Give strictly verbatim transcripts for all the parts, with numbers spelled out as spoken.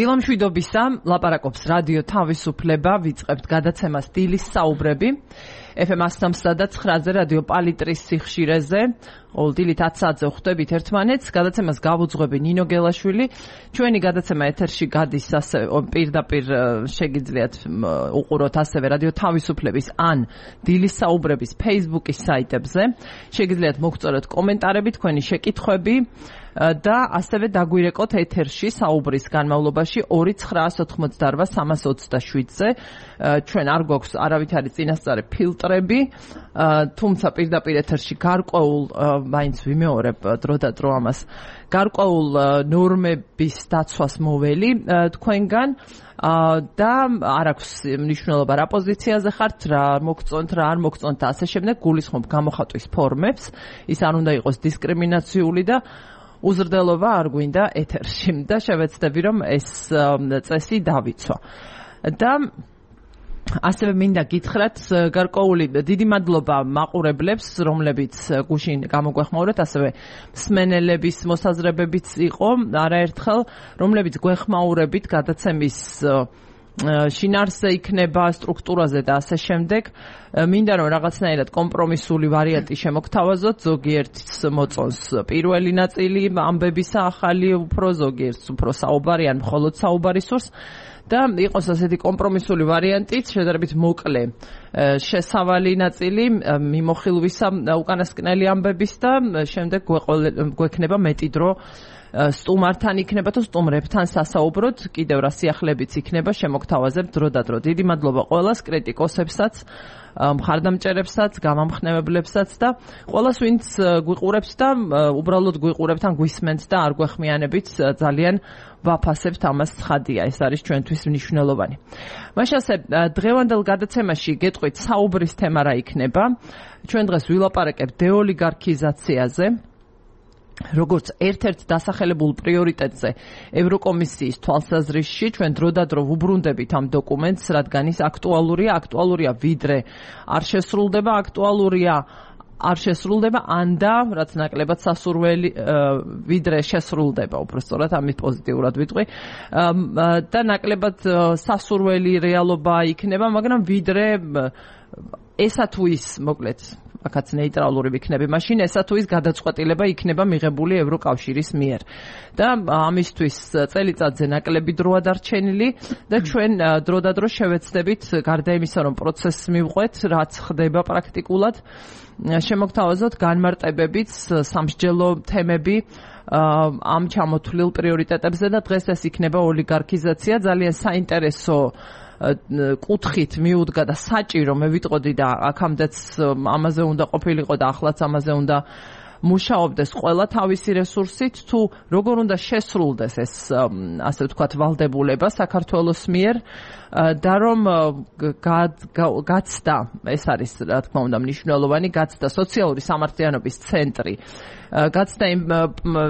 დილამშვიდობისა, ლაპარაკობს რადიო თავისუფლება, ვიწყებთ გადაცემას დილის საუბრები. ეფ ემ one oh three და nine-ზე რადიო პალიტრის სიხშირეზე. ყოველ დილით ათი საათზე ხვდებით ერთმანეთს. გადაცემას გავუძღვები ნინო გელაშვილი. ჩვენი გადაცემა ეთერში გადის ასევე პირდაპირ შეგიძლიათ უყუროთ ასევე რადიო თავისუფლების ან დილის საუბრების Facebook-ის საიტებზე. შეგიძლიათ მოგწოროთ კომენტარები, თქვენი შეკითხვები. და ასევე დაგვირეკოთ ეთერში საუბრის განმავლობაში ორი ცხრაას ოთხმოცდაოთხ სამას ოცდაშვიდზე. ჩვენ არ გვაქვს არავითარი წინასწარი ფილტრები, თუმცა პირდაპირ ეთერში გარკვეულ მაინც ვიმეორებ დრო და დრო ამას გარკვეულ ნორმების დაცვას მოველი თქვენგან და არ აქვს მნიშვნელობა რა პოზიციაზე ხართ, რა მოგწონთ, რა არ მოგწონთ და ასე შემდეგ. გულისხმობ გამოხატვის ფორმებს, ის არ უნდა იყოს დისკრიმინაციული და უზრდელობა არ გვინდა ეთერში და შევეცდები რომ ეს წესი დავიცვა. და ასევე მინდა გითხრათ გარკვეული დიდი მადლობა მაყურებლებს, რომლებიც გუშინ გამოგვეხმაურეთ, ასევე მსმენელების მოსაზრებებიც იყო არაერთხელ, რომლებიც გვეხმაურებით გადაცემის შინაარსზე იქნება, სტრუქტურაზე და ასე შემდეგ. მინდა რომ რაღაცნაირად კომპრომისული ვარიანტი შემოგთავაზოთ, ზოგიერთს მოწონს პირველი ნაწილი ამბებისა ახალი, უფრო ზოგიერთს უფრო საუბარი ან მხოლოდ საუბარი სურს და იყოს ასეთი კომპრომისული ვარიანტიც, შედარებით მოკლე შესავალი ნაწილი მიმოხილვისა უკანასკნელი ამბების და შემდეგ გვექნება მეტი დრო სტუმართან იქნება თუ სტუმრებთან სასაუბროდ, კიდევ რა სიახლებიც იქნება, შემოგთავაზებთ დრო და დრო. დიდი მადლობა ყველას, კრიტიკოსებსაც, მხარდამჭერებსაც, გამამხნევებლებსაც და ყველას, ვინც გვიყურებს და უბრალოდ გვიყურებთ ან გვისმენთ და არ გვეხმიანებით, ძალიან ვაფასებთ, ამას ცხადია, ეს არის ჩვენთვის მნიშვნელოვანი. მაშინ ასე დღევანდელ გადაცემაში გეტყვით საუბრის თემა რა იქნება. ჩვენ დღეს ვილაპარაკებთ დეოლიგარქიზაციაზე, როგორც ერთ-ერთ დასახელებულ პრიორიტეტზე ევროკომისიის თვალსაზრისში. ჩვენ დრო და დრო ვუბრუნდებით ამ დოკუმენტს, რადგან ის აქტუალურია, აქტუალურია ვიდრე არ შესრულდება, აქტუალურია არ შესრულდება ან და რაც ნაკლებად სასურველი ვიდრე შესრულდება, უბრალოდ ამით პოზიტიურად ვიტყვი და ნაკლებად სასურველი რეალობა იქნება, მაგრამ ვიდრე ესა თუ ის, მოკლედ აქაც ნეიტრალური ვიქნები, მაშინ ესა თუ ის გადაწყვეტილება იქნება მიღებული ევროკავშირის მიერ. და ამისთვის წელიწადზე ნაკლები დროა დარჩენილი და ჩვენ დრო და დრო შევეცდებით, გარდა იმისა, რომ პროცესს მივყვეთ, რაც ხდება პრაქტიკულად, შემოგთავაზოთ განმარტებებიც, სამსჯელო თემები ამ ჩამოთვლილ პრიორიტეტებზე და დღეს ეს იქნება ოლიგარქიზაცია, ძალიან საინტერესო კუთხით მიუდგა და საჭირო მე ვიტყოდი და აქამდეც ამაზე უნდა ყოფილიყო და ახლაც ამაზე უნდა მუშაობდეს ყველა თავისი რესურსით, თუ როგორ უნდა შესრულდეს ეს ასე ვთქვათ ვალდებულება საქართველოს მიერ და რომ გაცდა, ეს არის რა თქმა უნდა მნიშვნელოვანი, გაცდა სოციალური სამართლიანობის ცენტრი, გაცდა იმ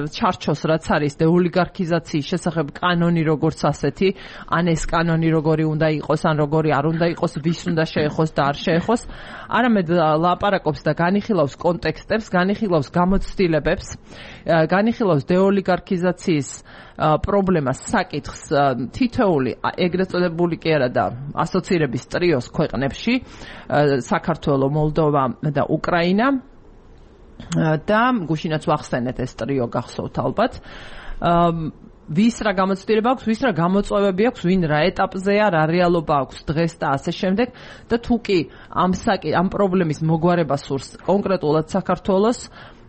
ჩარჩოს, რაც არის დეოლიგარქიზაციის შესახებ კანონი როგორც ასეთი, ან ეს კანონი როგორი უნდა იყოს, ან როგორი არ უნდა იყოს, ვის უნდა შეეხოს და არ შეეხოს, არამედ ლაპარაკობს და განიხილავს კონტექსტებს, განიხილავს გამოცდილებებს, განიხილავს დეოლიგარქიზაციის პრობლემას, საკითხს თითოეული ეგრეთ წოდებული კი არა და ასოცირების ტრიოს ქვეყნებში, საქართველო, მოლდოვა და უკრაინა და გუშინაც ვახსენეთ ეს ტრიო გახსოვთ ალბათ. ვის რა გამოცდილება აქვს, ვის რა გამოწვევები აქვს, ვინ რა ეტაპზეა, რა რეალობა აქვს დღეს და ასე შემდეგ და თუ კი ამ ამ პრობლემის მოგვარება სურს კონკრეტულად საქართველოს,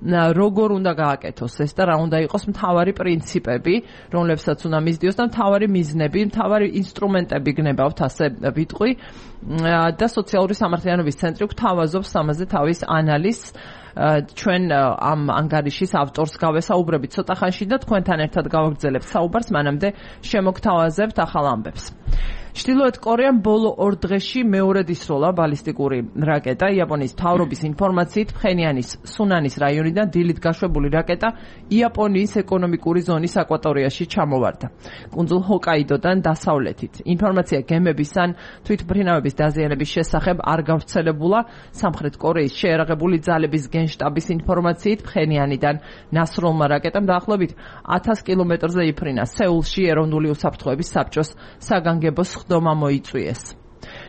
როგორ უნდა გააკეთოს ეს და რა უნდა იყოს მთავარი პრინციპები, რომლებსაც უნდა მისდიოს და მთავარი მიზნები, მთავარი ინსტრუმენტები გნებავთ, ასე ვიტყვი და სოციალური სამართლიანობის ცენტრი გვთავაზობს ამაზე თავის ანალიზს. ჩვენ ამ ანგარიშის ავტორს გავესაუბრებით ცოტა ხანში და თქვენთან ერთად გავაგრძელებთ საუბარს, მანამდე შემოგთავაზებთ ახალ ამბებს. ჩრდილოეთ კორეამ ბოლო ორ დღეში მეორედ ისროლა ბალისტიკური რაკეტა. იაპონიის მთავრობის ინფორმაციით ფხენიანის სუნანის რაიონიდან დილით გაშვებული რაკეტა იაპონიის ეკონომიკური ზონის აკვატორიაში ჩამოვარდა. კუნძულ ჰოკაიდოდან დასავლეთით. ინფორმაცია გემების ან თვითმფრინავების დაზიანების შესახებ არ გავრცელებულა. სამხრეთ კორეის შეერაღებული ძალების გენშტაბის ინფორმაციით ფხენიანიდან ნასროლმა რაკეტამ დაახლოებით ათას კილომეტრზე იფრინა. სეულში ეროვნული უსაფრთხოების საბჭოს საგანგებო ხდომა მოიწვიეს.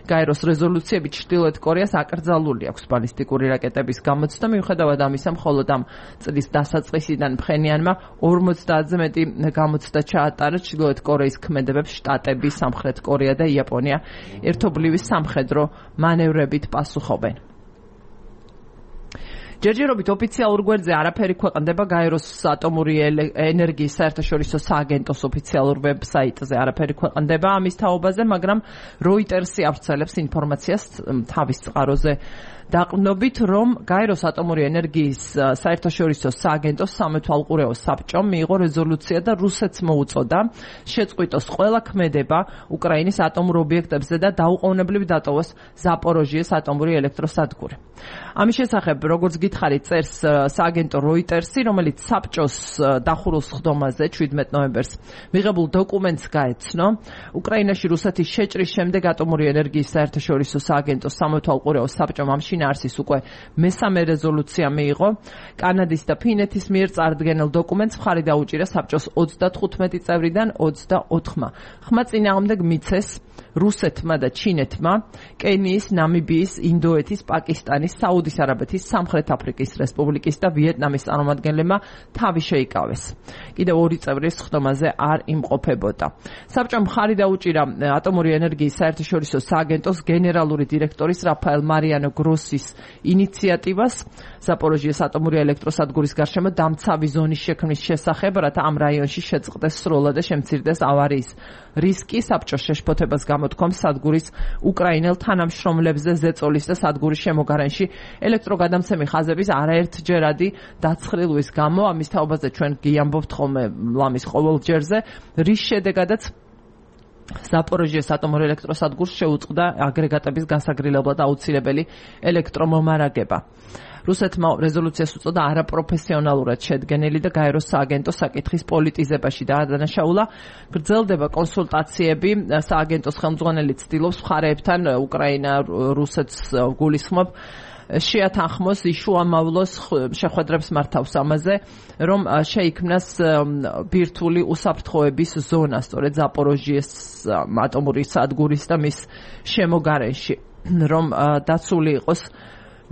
გაეროს რეზოლუციები ჩრდილოეთ კორეას აკრძალული აქვს ბალისტიკური რაკეტების გამოცდა. მიუხედავად ამისა, მხოლოდ ამ წლის დასაწყისიდან ფხენიანმა ორმოცდაათზე მეტი გამოცდა ჩაატარა. ჩრდილოეთ კორეის ქმედებებს შტატები, სამხრეთ კორეა და იაპონია ერთობლივი სამხედრო მანევრებით პასუხობენ. ჯერჯერობით ოფიციალურ გვერდზე არაფერი ქვეყნდება გაეროს ატომური ენერგიის საერთაშორისო სააგენტოს ოფიციალურ ვებსაიტზე არაფერი ქვეყნდება ამის თაობაზე, მაგრამ როიტერსი ავრცელებს ინფორმაციას თავის წყაროზე დაყრდნობით, რომ გაეროს ატომური ენერგიის საერთაშორისო სააგენტოს სამეთვალყურეო საბჭომ მიიღო რეზოლუცია და რუსეთს მოუწოდა შეწყვიტოს ყველა ქმედება უკრაინის ატომურ ობიექტებზე და დაუყოვნებლივ დატოვოს ზაპოროჟიეს ატომური ელექტროსადგური. ამის შესახებ, როგორც გითხარით, წერს სააგენტო როიტერსი, რომელიც საბჭოს დახურულ ხდომაზე შვიდმეტ ნოემბერს მიღებულ დოკუმენტს გაეცნო. უკრაინაში რუსეთის შეჭრის შემდეგ ატომური ენერგიის საერთაშორისო სააგენტოს სამეთვალყურეო საბჭომ ამ შინაარსის უკვე მესამე რეზოლუცია მიიღო. კანადის და ფინეთის მიერ წარდგენილ დოკუმენტს მხარი დაუჭირა საბჭოს ოცდათხუთმეტი წევრიდან ოცდაოთხმა. ხმა წინააღმდეგ მიცეს რუსეთმა და ჩინეთმა, კენიის, ნამიბიის, ინდოეთის, პაკისტანის, საუდის არაბეთის, სამხრეთ აფრიკის რესპუბლიკის და ვიეტნამის წარმომადგენლებმა თავი შეიკავეს. კიდევ ორი წევრი ხდომაზე არ იმყოფებოდა. საბჭომ მხარი დაუჭირა ატომური ენერგიის საერთაშორისო სააგენტოს გენერალური დირექტორის რაფაელ მარიანო გროსის ინიციატივას ზაპოროჟიეს ატომური ელექტროსადგურის გარშემო დამცავი ზონის შექმნის შესახებ, რათა ამ რაიონში შეწყდეს სროლა და შემცირდეს ავარიის რისკი. საბჭოს შეშფოთებას გამოთქვამს სადგურის უკრაინელ თანამშრომლებზე ზეწოლის და სადგურის შემოგარენში ელექტროგადამცემი ხაზების არაერთჯერადი დაცხრილვის გამო. ამის თაობაზე ჩვენ გიამბობთ ხოლმე ლამის ყოველჯერზე, რის შედეგადაც ზაპოროჟიეს ატომურ ელექტროსადგურს შეუწყდა აგრეგატების გასაგრილებლად აუცილებელი ელექტრომომარაგება. რუსეთმა რეზოლუციას უწოდა არაპროფესიონალურად შედგენილი და გაეროს სააგენტო საკითხის პოლიტიზებაში დაადანაშაულა. გრძელდება კონსულტაციები, სააგენტოს ხელმძღვანელი ცდილობს მხარეებთან უკრაინა რუსეთს გულისხმობ შეათანხმოს იშუამავლოს შეხვედრებს მართავს ამაზე, რომ შეიქმნას ბირთვული უსაფრთხოების ზონა სწორედ ზაპოროჟიეს ატომური სადგურის და მის შემოგარენში, რომ დაცული იყოს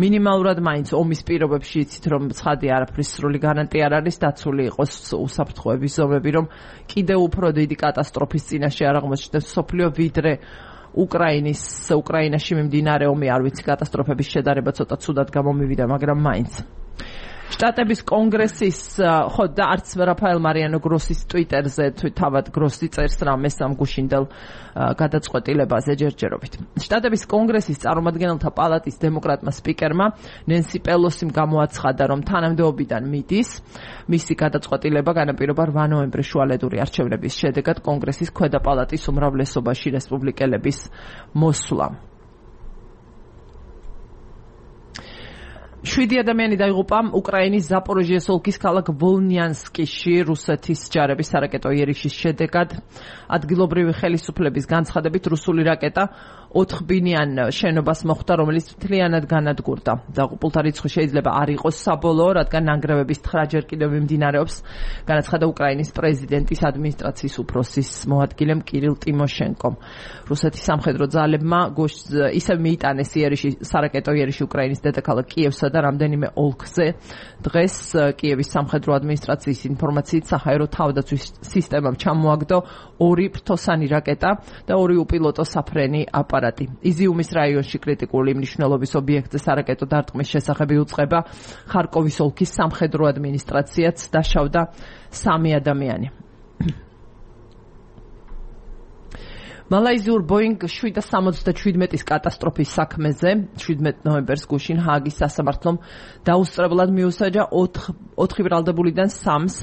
მინიმალურად მაინც ომის პირობებში, იცით რომ ცხადი არაფრის სრული გარანტია არ არის, დაცული იყოს უსაფრთხოების ზომები, რომ კიდევ უფრო დიდი კატასტროფის წინაშე არ აღმოჩნდეს მსოფლიო, ვიდრე უკრაინის უკრაინაში მიმდინარე ომი, არ ვიცი, კატასტროფების შედარება ცოტა ცუდად გამომივიდა, მაგრამ მაინც. შტატების კონგრესის, ხო და არც რაფაელ მარიანო გროსის ტვიტერზე თავად გროსი წერს რამეს ამ გუშინდელ გადაწყვეტილებაზე ჯერჯერობით. შტატების კონგრესის წარმომადგენელთა პალატის დემოკრატმა სპიკერმა ნენსი პელოსიმ გამოაცხადა, რომ თანამდებობიდან მიდის მისი გადაწყვეტილება განაპირობა რვა ნოემბრის შუალედური არჩევნების შედეგად კონგრესის ქვედა პალატის უმრავლესობაში რესპუბლიკელების მოსვლა. შვიდი ადამიანი დაიღუპა უკრაინის ზაპოროჟიეს ოლქის ქალაქ ვოლნიანსკიში რუსეთის ჯარების სარაკეტო იერიშის შედეგად. ადგილობრივი ხელისუფლების განცხადებით რუსული რაკეტა ოთხბინიან შენობას მოხვდა, რომელიც მთლიანად განადგურდა. დაღუპულთა რიცხვი შეიძლება არ იყოს საბოლოო, რადგან ნანგრევების თხრა ჯერ კიდევ მიმდინარეობს, განაცხადა უკრაინის პრეზიდენტის ადმინისტრაციის უფროსის მოადგილემ კირილ ტიმოშენკომ. რუსეთის სამხედრო ძალებმა ისევ მიიტანეს იერიში სარაკეტო იერიში უკრაინის დედაქალაქ კიევსა და რამდენიმე ოლქზე. დღეს კიევის სამხედრო ადმინისტრაციის ინფორმაციით საჰაერო თავდაცვის სისტემამ ჩამოაგდო ორი ფრთოსანი რაკეტა და ორი უპილოტო საფრენი აპარატი. იზიუმის რაიონში კრიტიკული მნიშვნელობის ობიექტზე სარაკეტო დარტყმის შესახები უწყება. ხარკოვის ოლქის სამხედრო ადმინისტრაციაც დაშავდა სამი ადამიანი. მალაიზიურ ბოინგ შვიდ სამოცდაშვიდმეტის კატასტროფის საქმეზე შვიდმეტ ნოემბერს გუშინ ჰააგის სასამართლომ დაუსწრებლად მიუსაჯა ოთხი ბრალდებულიდან სამს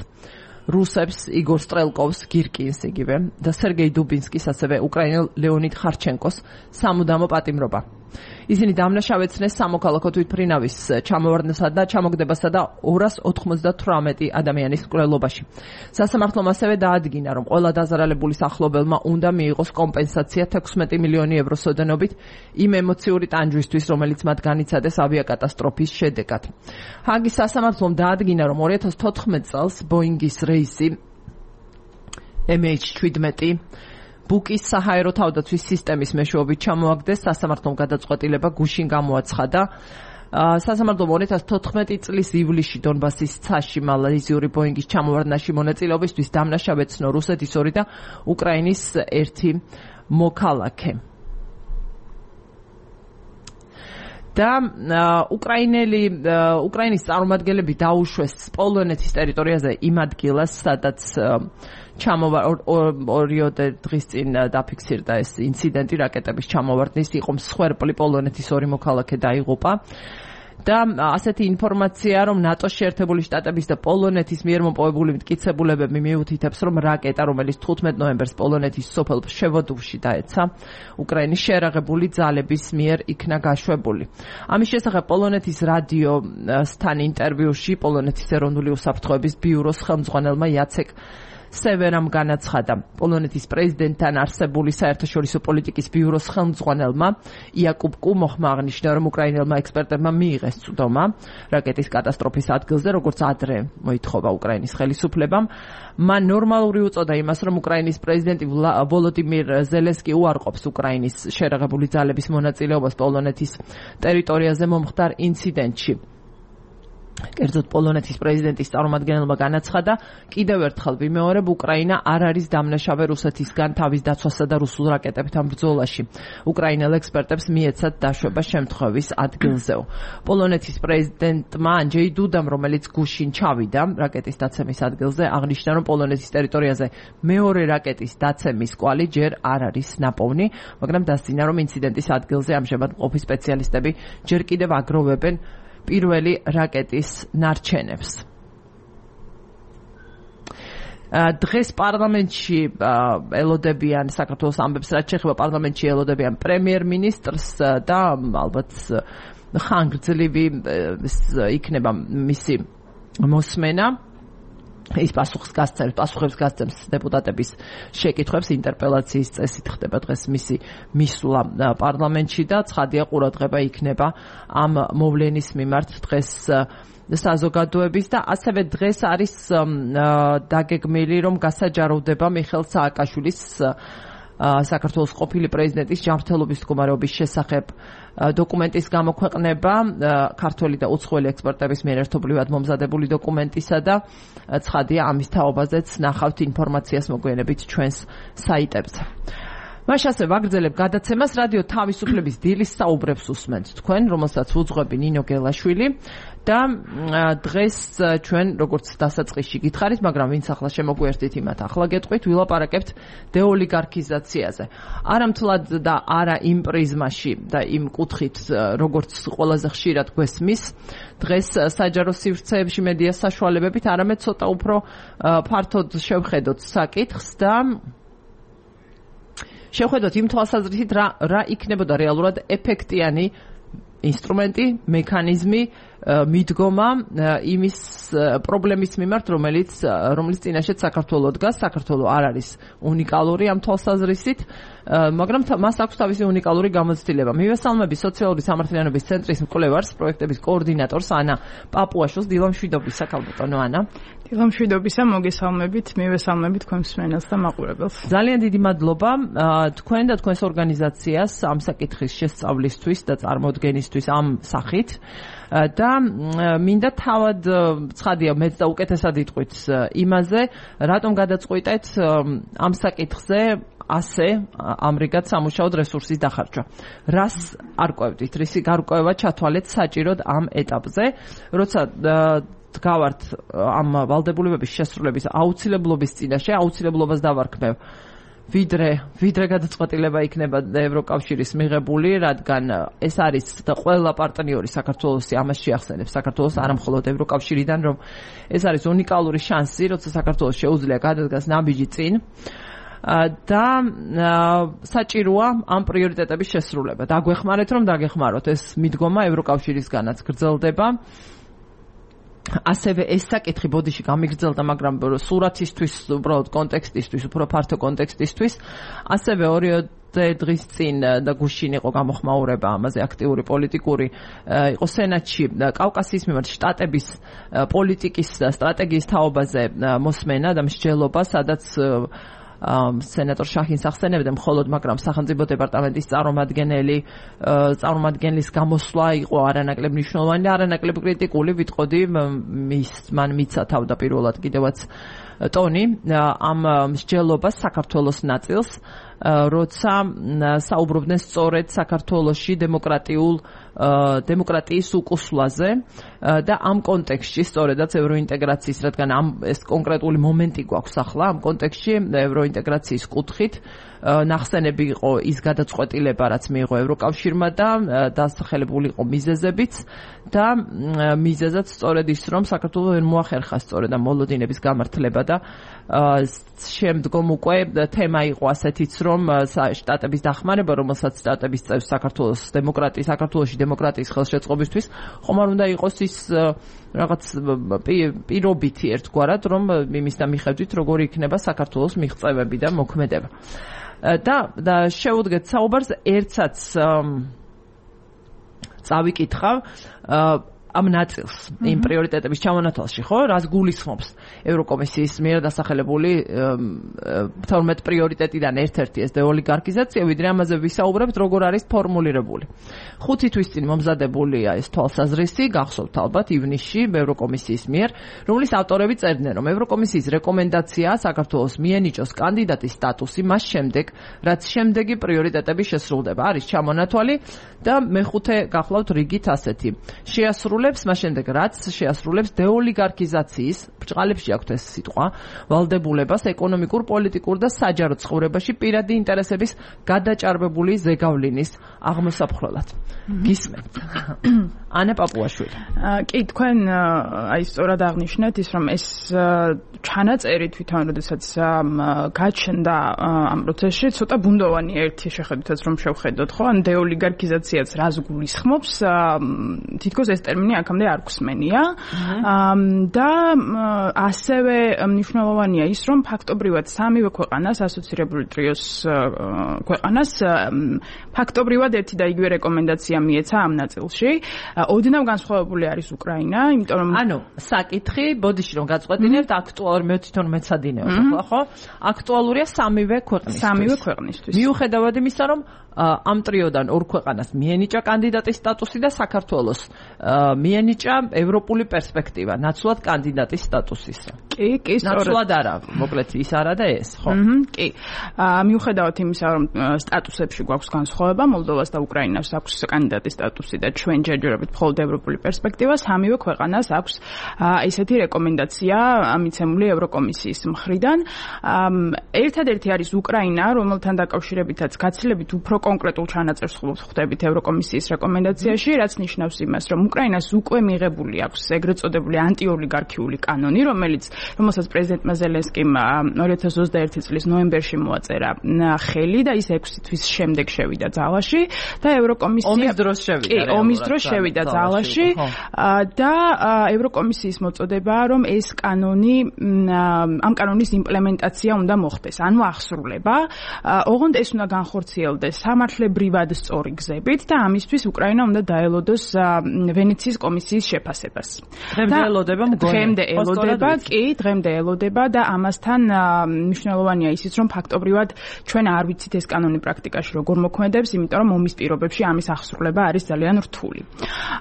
რუსებს იგორ სტრელკოვს, გირკინს იგივე და სერგეი დუბინსკის, ასევე უკრაინელ ლეონიდ ხარჩენკოს სამუდამო პატიმრობა. ისინი დამნაშავეცნეს სამოქალაქო თვითმფრინავის ჩამოვარდნასა და ჩამოგდებასა და ორას ოთხმოცდათვრამეტი ადამიანის მკვლელობაში. სასამართლომ ასევე დაადგინა, რომ ყველა დაზარალებული სახლობელმა უნდა მიიღოს კომპენსაცია თექვსმეტი მილიონი ევროს ოდენობით იმ ემოციური ტანჯვისთვის, რომელიც მათ განიცადეს ავიაკატასტროფის შედეგად. ჰაგის სასამართლომ დაადგინა, რომ ორი ათას თოთხმეტ წელს ბოინგის რეისი ემ ეიჩ შვიდმეტი ბუკის საჰაერო თავდაცვის სისტემის მეშვეობით ჩამოაგდეს. სასამართლომ გადაწყვეტილება გუშინ გამოაცხადა. სასამართლომ ორი ათას თოთხმეტი წლის ივლისში დონბასის ცაში მალაიზიური ბოინგის ჩამოვარდნაში მონაწილეობისთვის დამნაშავეცნო რუსეთის ორი და უკრაინის ერთი მოქალაქე. და უკრაინელი უკრაინის წარმომადგენლები დაუშვეს პოლონეთის ტერიტორიაზე იმ ადგილას, სადაც ჩამოვა ორიოდე დღის წინ დაფიქსირდა ეს ინციდენტი რაკეტების ჩამოვარდნის. იყო მსხვერპლი, პოლონეთის ორი მოქალაქე დაიღუპა. და ასეთი ინფორმაცია, რომ ნატოს შეერთებული შტატების და პოლონეთის მიერ მოპოვებული მტკიცებულებები მიუთითებს, რომ რაკეტა, რომელიც თხუთმეტ ნოემბერს პოლონეთის სოფელ ფშევოდოვში დაეცა, უკრაინის შეერაღებული ძალების მიერ იქნა გაშვებული. ამის შესახებ პოლონეთის რადიოსთან ინტერვიუში პოლონეთის ეროვნული უსაფრთხოების ბიუროს ხელმძღვანელმა იაცეკ სევერამ განაცხადა. პოლონეთის პრეზიდენტთან არსებული საერთაშორისო პოლიტიკის ბიუროს ხელმძღვანელმა იაკუბ კუმოხმა აღნიშნა, რომ უკრაინელმა ექსპერტებმა მიიღეს წვდომა რაკეტის კატასტროფის ადგილზე, როგორც ადრე მოითხოვა უკრაინის ხელისუფლებამ. მან ნორმალური უწოდა იმას, რომ უკრაინის პრეზიდენტი ვოლოდიმირ ზელენსკი უარყოფს უკრაინის შეერაღებული ძალების მონაწილეობას პოლონეთის ტერიტორიაზე მომხდარ ინციდენტში. კერძოდ პოლონეთის პრეზიდენტის წარმომადგენელმა განაცხადა, კიდევ ერთხელ ვიმეორებ, უკრაინა არ არის დამნაშავე რუსეთისგან თავის დაცვასა და რუსულ რაკეტებთან ბრძოლაში. უკრაინელ ექსპერტებს მიეცათ დაშვება შემთხვევის ადგილზეო. პოლონეთის პრეზიდენტმა ანჯეი დუდამ, რომელიც გუშინ ჩავიდა რაკეტის დაცემის ადგილზე, აღნიშნა, რომ პოლონეთის ტერიტორიაზე მეორე რაკეტის დაცემის კვალი ჯერ არ არის ნაპოვნი, მაგრამ დასძინა, რომ ინციდენტის ადგილზე ამჟამად მყოფი სპეციალისტები ჯერ კიდევ აგროვებენ პირველი რაკეტის ნარჩენებს. დღეს პარლამენტში ელოდებიან საქართველოს ამბებს, რაც შეეხება პარლამენტში ელოდებიან პრემიერ-მინისტრს და ალბათ ხანგრძლივი იქნება მისი მოსმენა. ის პასუხს გასცემს, პასუხებს გასცემს დეპუტატების შეკითხვებს, ინტერპელაციის წესით ხდება დღეს მისი მისვლა პარლამენტში და ცხადია ყურადღება იქნება ამ მოვლენის მიმართ დღეს საზოგადოების და ასევე დღეს არის დაგეგმილი, რომ გასაჯაროვდება მიხეილ სააკაშვილის საქართველოს ყოფილი პრეზიდენტის ჯანმრთელობის მდგომარეობის შესახებ დოკუმენტის გამოქვეყნება, ქართველი და უცხოელი ექსპერტების მიერ ერთობლივად მომზადებული დოკუმენტისა და ცხადია ამის თაობაზეც ნახავთ ინფორმაციას მოგვიანებით ჩვენს საიტებზე. მაშ ასე ვაგრძელებ გადაცემას. რადიო თავისუფლების დილის საუბრებს უსმენთ თქვენ, რომელსაც უძღვები ნინო გელაშვილი და დღეს ჩვენ როგორც დასაწყისში გითხარით, მაგრამ ვინც ახლა შემოგვიერთდით, იმათ ახლა გეტყვით, ვილაპარაკებთ დეოლიგარქიზაციაზე. არა მთლად და არა იმ პრიზმაში და იმ კუთხით, როგორც ყველაზე ხშირად გვესმის დღეს საჯარო სივრცეებში მედია საშუალებებით, არამედ ცოტა უფრო ფართოდ შევხედოთ საკითხს და შევხედოთ იმ თვალსაზრისით, რა რა იქნებოდა რეალურად ეფექტიანი ინსტრუმენტი, მექანიზმი, მიდგომა იმის პრობლემის მიმართ, რომელიც რომელიც წინაშეც საქართველოს დგას. საქართველო არ არის უნიკალური ამ თვალსაზრისით, მაგრამ მას აქვს თავისი უნიკალური გამოცდილება. მივესალმები სოციალური სამართლიანობის ცენტრის მკვლევარს, პროექტების კოორდინატორს ანა პაპუაშვილს. დილამშვიდობისა, ქალბატონო ანა. დილამშვიდობისა, მოგესალმებით, მივესალმებით თქვენ მსმენელს და მაყურებელს. ძალიან დიდი მადლობა თქვენ და თქვენს ორგანიზაციას ამ საკითხის შესწავლისთვის და წარმოდგენისთვის ამ სახით. და მინდა თავად ცხადია მეც და უკეთესად იტყვით იმაზე, რატომ გადაწყვიტეთ ამ საკითხზე ასე ამრიგად სამუშაოდ რესურსის დახარჯვა. რას არ ყვევდით, რისი გარკვევა ჩათვალეთ საჭიროდ ამ ეტაპზე, როცა დგავართ ამ ვალდებულებების შესრულების აუცილებლობის წინაშე, აუცილებლობას დავარქმევ ვიდრე ვიდრე გადაწყვეტილება იქნება ევროკავშირის მიღებული, რადგან ეს არის ყველა პარტნიორი საქართველოსი ამას შეახსენებს საქართველოს არა მხოლოდ ევროკავშირიდან, რომ ეს არის უნიკალური შანსი, როცა საქართველოს შეუძლია გადადგას ნაბიჯი წინ და საჭიროა ამ პრიორიტეტების შესრულება. დაგვეხმარეთ, რომ დაგეხმაროთ, ეს მიდგომა ევროკავშირისგანაც გრძელდება. ასევე ეს საკითხი ბოდიში გამიგრძელდა, მაგრამ სურათისთვის, უბრალოდ კონტექსტისთვის, უფრო ფართო კონტექსტისთვის, ასევე ორი დღის წინ და გუშინ იყო გამოხმაურება ამაზე აქტიური პოლიტიკური, იყო სენატში კავკასიის მიმართ შტატების პოლიტიკის სტრატეგიის თაობაზე მოსმენა და მსჯელობა, სადაც სენატორ შაჰინს ახსენებდა მხოლოდ, მაგრამ სახელმწიფო დეპარტამენტის წარმომადგენელი წარმომადგენლის გამოსვლა იყო არანაკლებ მნიშვნელოვანი და არანაკლებ კრიტიკული, ვიტყოდი მის მან მიცა თავდაპირველად კიდევაც ტონი ამ მსჯელობას საქართველოს ნაწილს, როცა საუბრობდნენ სწორედ საქართველოში დემოკრატიულ დემოკრატიის უკუსვლაზე და ამ კონტექსტში სწორედაც ევროინტეგრაციის, რადგან ამ ეს კონკრეტული მომენტი გვაქვს ახლა ამ კონტექსტში ევროინტეგრაციის კუთხით ნახსენები იყო ის გადაწყვეტილება, რაც მიიღო ევროკავშირმა და დასახელებული იყო მიზეზებიც და მიზეზად სწორედ ის, რომ საქართველოს ვერ მოახერხა სწორედ ამ მოლოდინების გამართლება და შემდგომ უკვე თემა იყო ასეთიც, რომ შტატების დახმარება, რომელსაც შტატების წევს საქართველოს დემოკრატიის საქართველოში დემოკრატიის ხელშეწყობისთვის ხომ არ უნდა იყოს ის რაღაც პირობითი ერთგვარად, რომ იმის და მიხედვით როგორი იქნება საქართველოს მიღწევები და მოქმედება. და და შევუდგეთ საუბარს ერთსაც წავიკითხავ ამ ნაწილს იმ პრიორიტეტების ჩამონათვალში, ხო, რას გულისხმობს ევროკომისიის მიერ დასახელებული თორმეტ პრიორიტეტიდან ერთ-ერთი ეს დეოლიგარქიზაცია, ვიდრე ამაზე ვისაუბრებთ, როგორ არის ფორმულირებული. ხუთი თვის წინ მომზადებულია ეს თვალსაზრისი, გახსოვთ ალბათ ივნისში ევროკომისიის მიერ, რომლის ავტორები წერდნენ, რომ ევროკომისიის რეკომენდაციაა საქართველოს მიენიჭოს კანდიდატის სტატუსი მას შემდეგ, რაც შემდეგი პრიორიტეტები შესრულდება. არის ჩამონათვალი და მეხუთე გახლავთ რიგით ასეთი. შეასრულებს, მას შემდეგ რაც შეასრულებს დეოლიგარქიზაციის, ბრჭყალებში აქვთ ეს სიტყვა, ვალდებულებას ეკონომიკურ, პოლიტიკურ და საჯარო ცხოვრებაში პირადი ინტერესების გადაჭარბებული ზეგავლინის აღმოსაფხრელად. გისმენთ. ანა პაპუაშვილი. კი, თქვენ აი სწორად აღნიშნეთ ის, რომ ეს ჩანაწერი თვითონ, როდესაც გაჩნდა ამ პროცესში, ცოტა ბუნდოვანი ერთი შეხედვითაც რომ შევხედოთ, ხო? ან დეოლიგარქიზაციაც რას გულისხმობს, თითქოს ეს ტერმინი აქამდე არ გვსმენია. და ასევე მნიშვნელოვანია ის, რომ ფაქტობრივად სამივე ქვეყანას, ასოცირებული ტრიოს ქვეყანას ფაქტობრივად ერთი და იგივე რეკომენდაცია მიეცა ამ ნაწილში. ოდნავ განსხვავებული არის უკრაინა, იმიტომ რომ ანუ საკითხი, ბოდიში რომ გაწყვეტინებთ, აქტუალური მე თვითონ მეცადინეობ, ხო? აქტუალურია სამივე ქვეყნისთვის. სამივე ქვეყნისთვის. მიუხედავად იმისა, რომ ამ ტრიოდან ორ ქვეყანას მიენიჭა კანდიდატის სტატუსი და საქართველოს მიენიჭა ევროპული პერსპექტივა, ნაცვლად კანდიდატის სტატუსისა. კი, კი, სწორედ. ნაცვლად არა, მოკლედ ის არა და ეს, ხო? კი. მიუხედავად იმისა, რომ სტატუსებში გვაქვს განსხვავება, მოლდოვას და უკრაინას აქვს კანდიდატის სტატუსი და ჩვენ ჯერჯერობით მხოლოდ ევროპული პერსპექტივა, სამივე ქვეყანას აქვს ესეთი რეკომენდაცია მიცემული ევროკომისიის მხრიდან. ერთადერთი არის უკრაინა, რომელთან დაკავშირებითაც გაცილებით უფრო კონკრეტულ ჩანაწერს ხვდებით ევროკომისიის რეკომენდაციაში, რაც ნიშნავს იმას, რომ უკრაინას უკვე მიღებული აქვს ეგრეთ წოდებული ანტიოლიგარქიული კანონი, რომელიც რომელსაც პრეზიდენტმა ზელენსკიმ ორი ათას ოცდაერთი წლის ნოემბერში მოაწერა ხელი და ის ექვსი თვის შემდეგ შევიდა ძალაში და ევროკომისია ომის დროს შევიდა. კი, ომის დროს შევიდა ძალაში და ევროკომისიის მოწოდებაა, რომ ეს კანონი ამ კანონის იმპლემენტაცია უნდა მოხდეს, ანუ ახსრულება. ოღონდ ეს უნდა განხორციელდეს სამართლებრივად სწორი გზებით და ამისთვის უკრაინა უნდა დაელოდოს ვენეციის კომისიის შეფასებას. დღემდე ელოდება მგონი. დღემდე ელოდება, კი, დღემდე ელოდება და ამასთან მნიშვნელოვანია ისიც, რომ ფაქტობრივად ჩვენ არ ვიცით ეს კანონი პრაქტიკაში როგორ მოქმედებს, იმიტომ რომ ომის პირობებში ამის ახსრულება არის ძალიან რთული.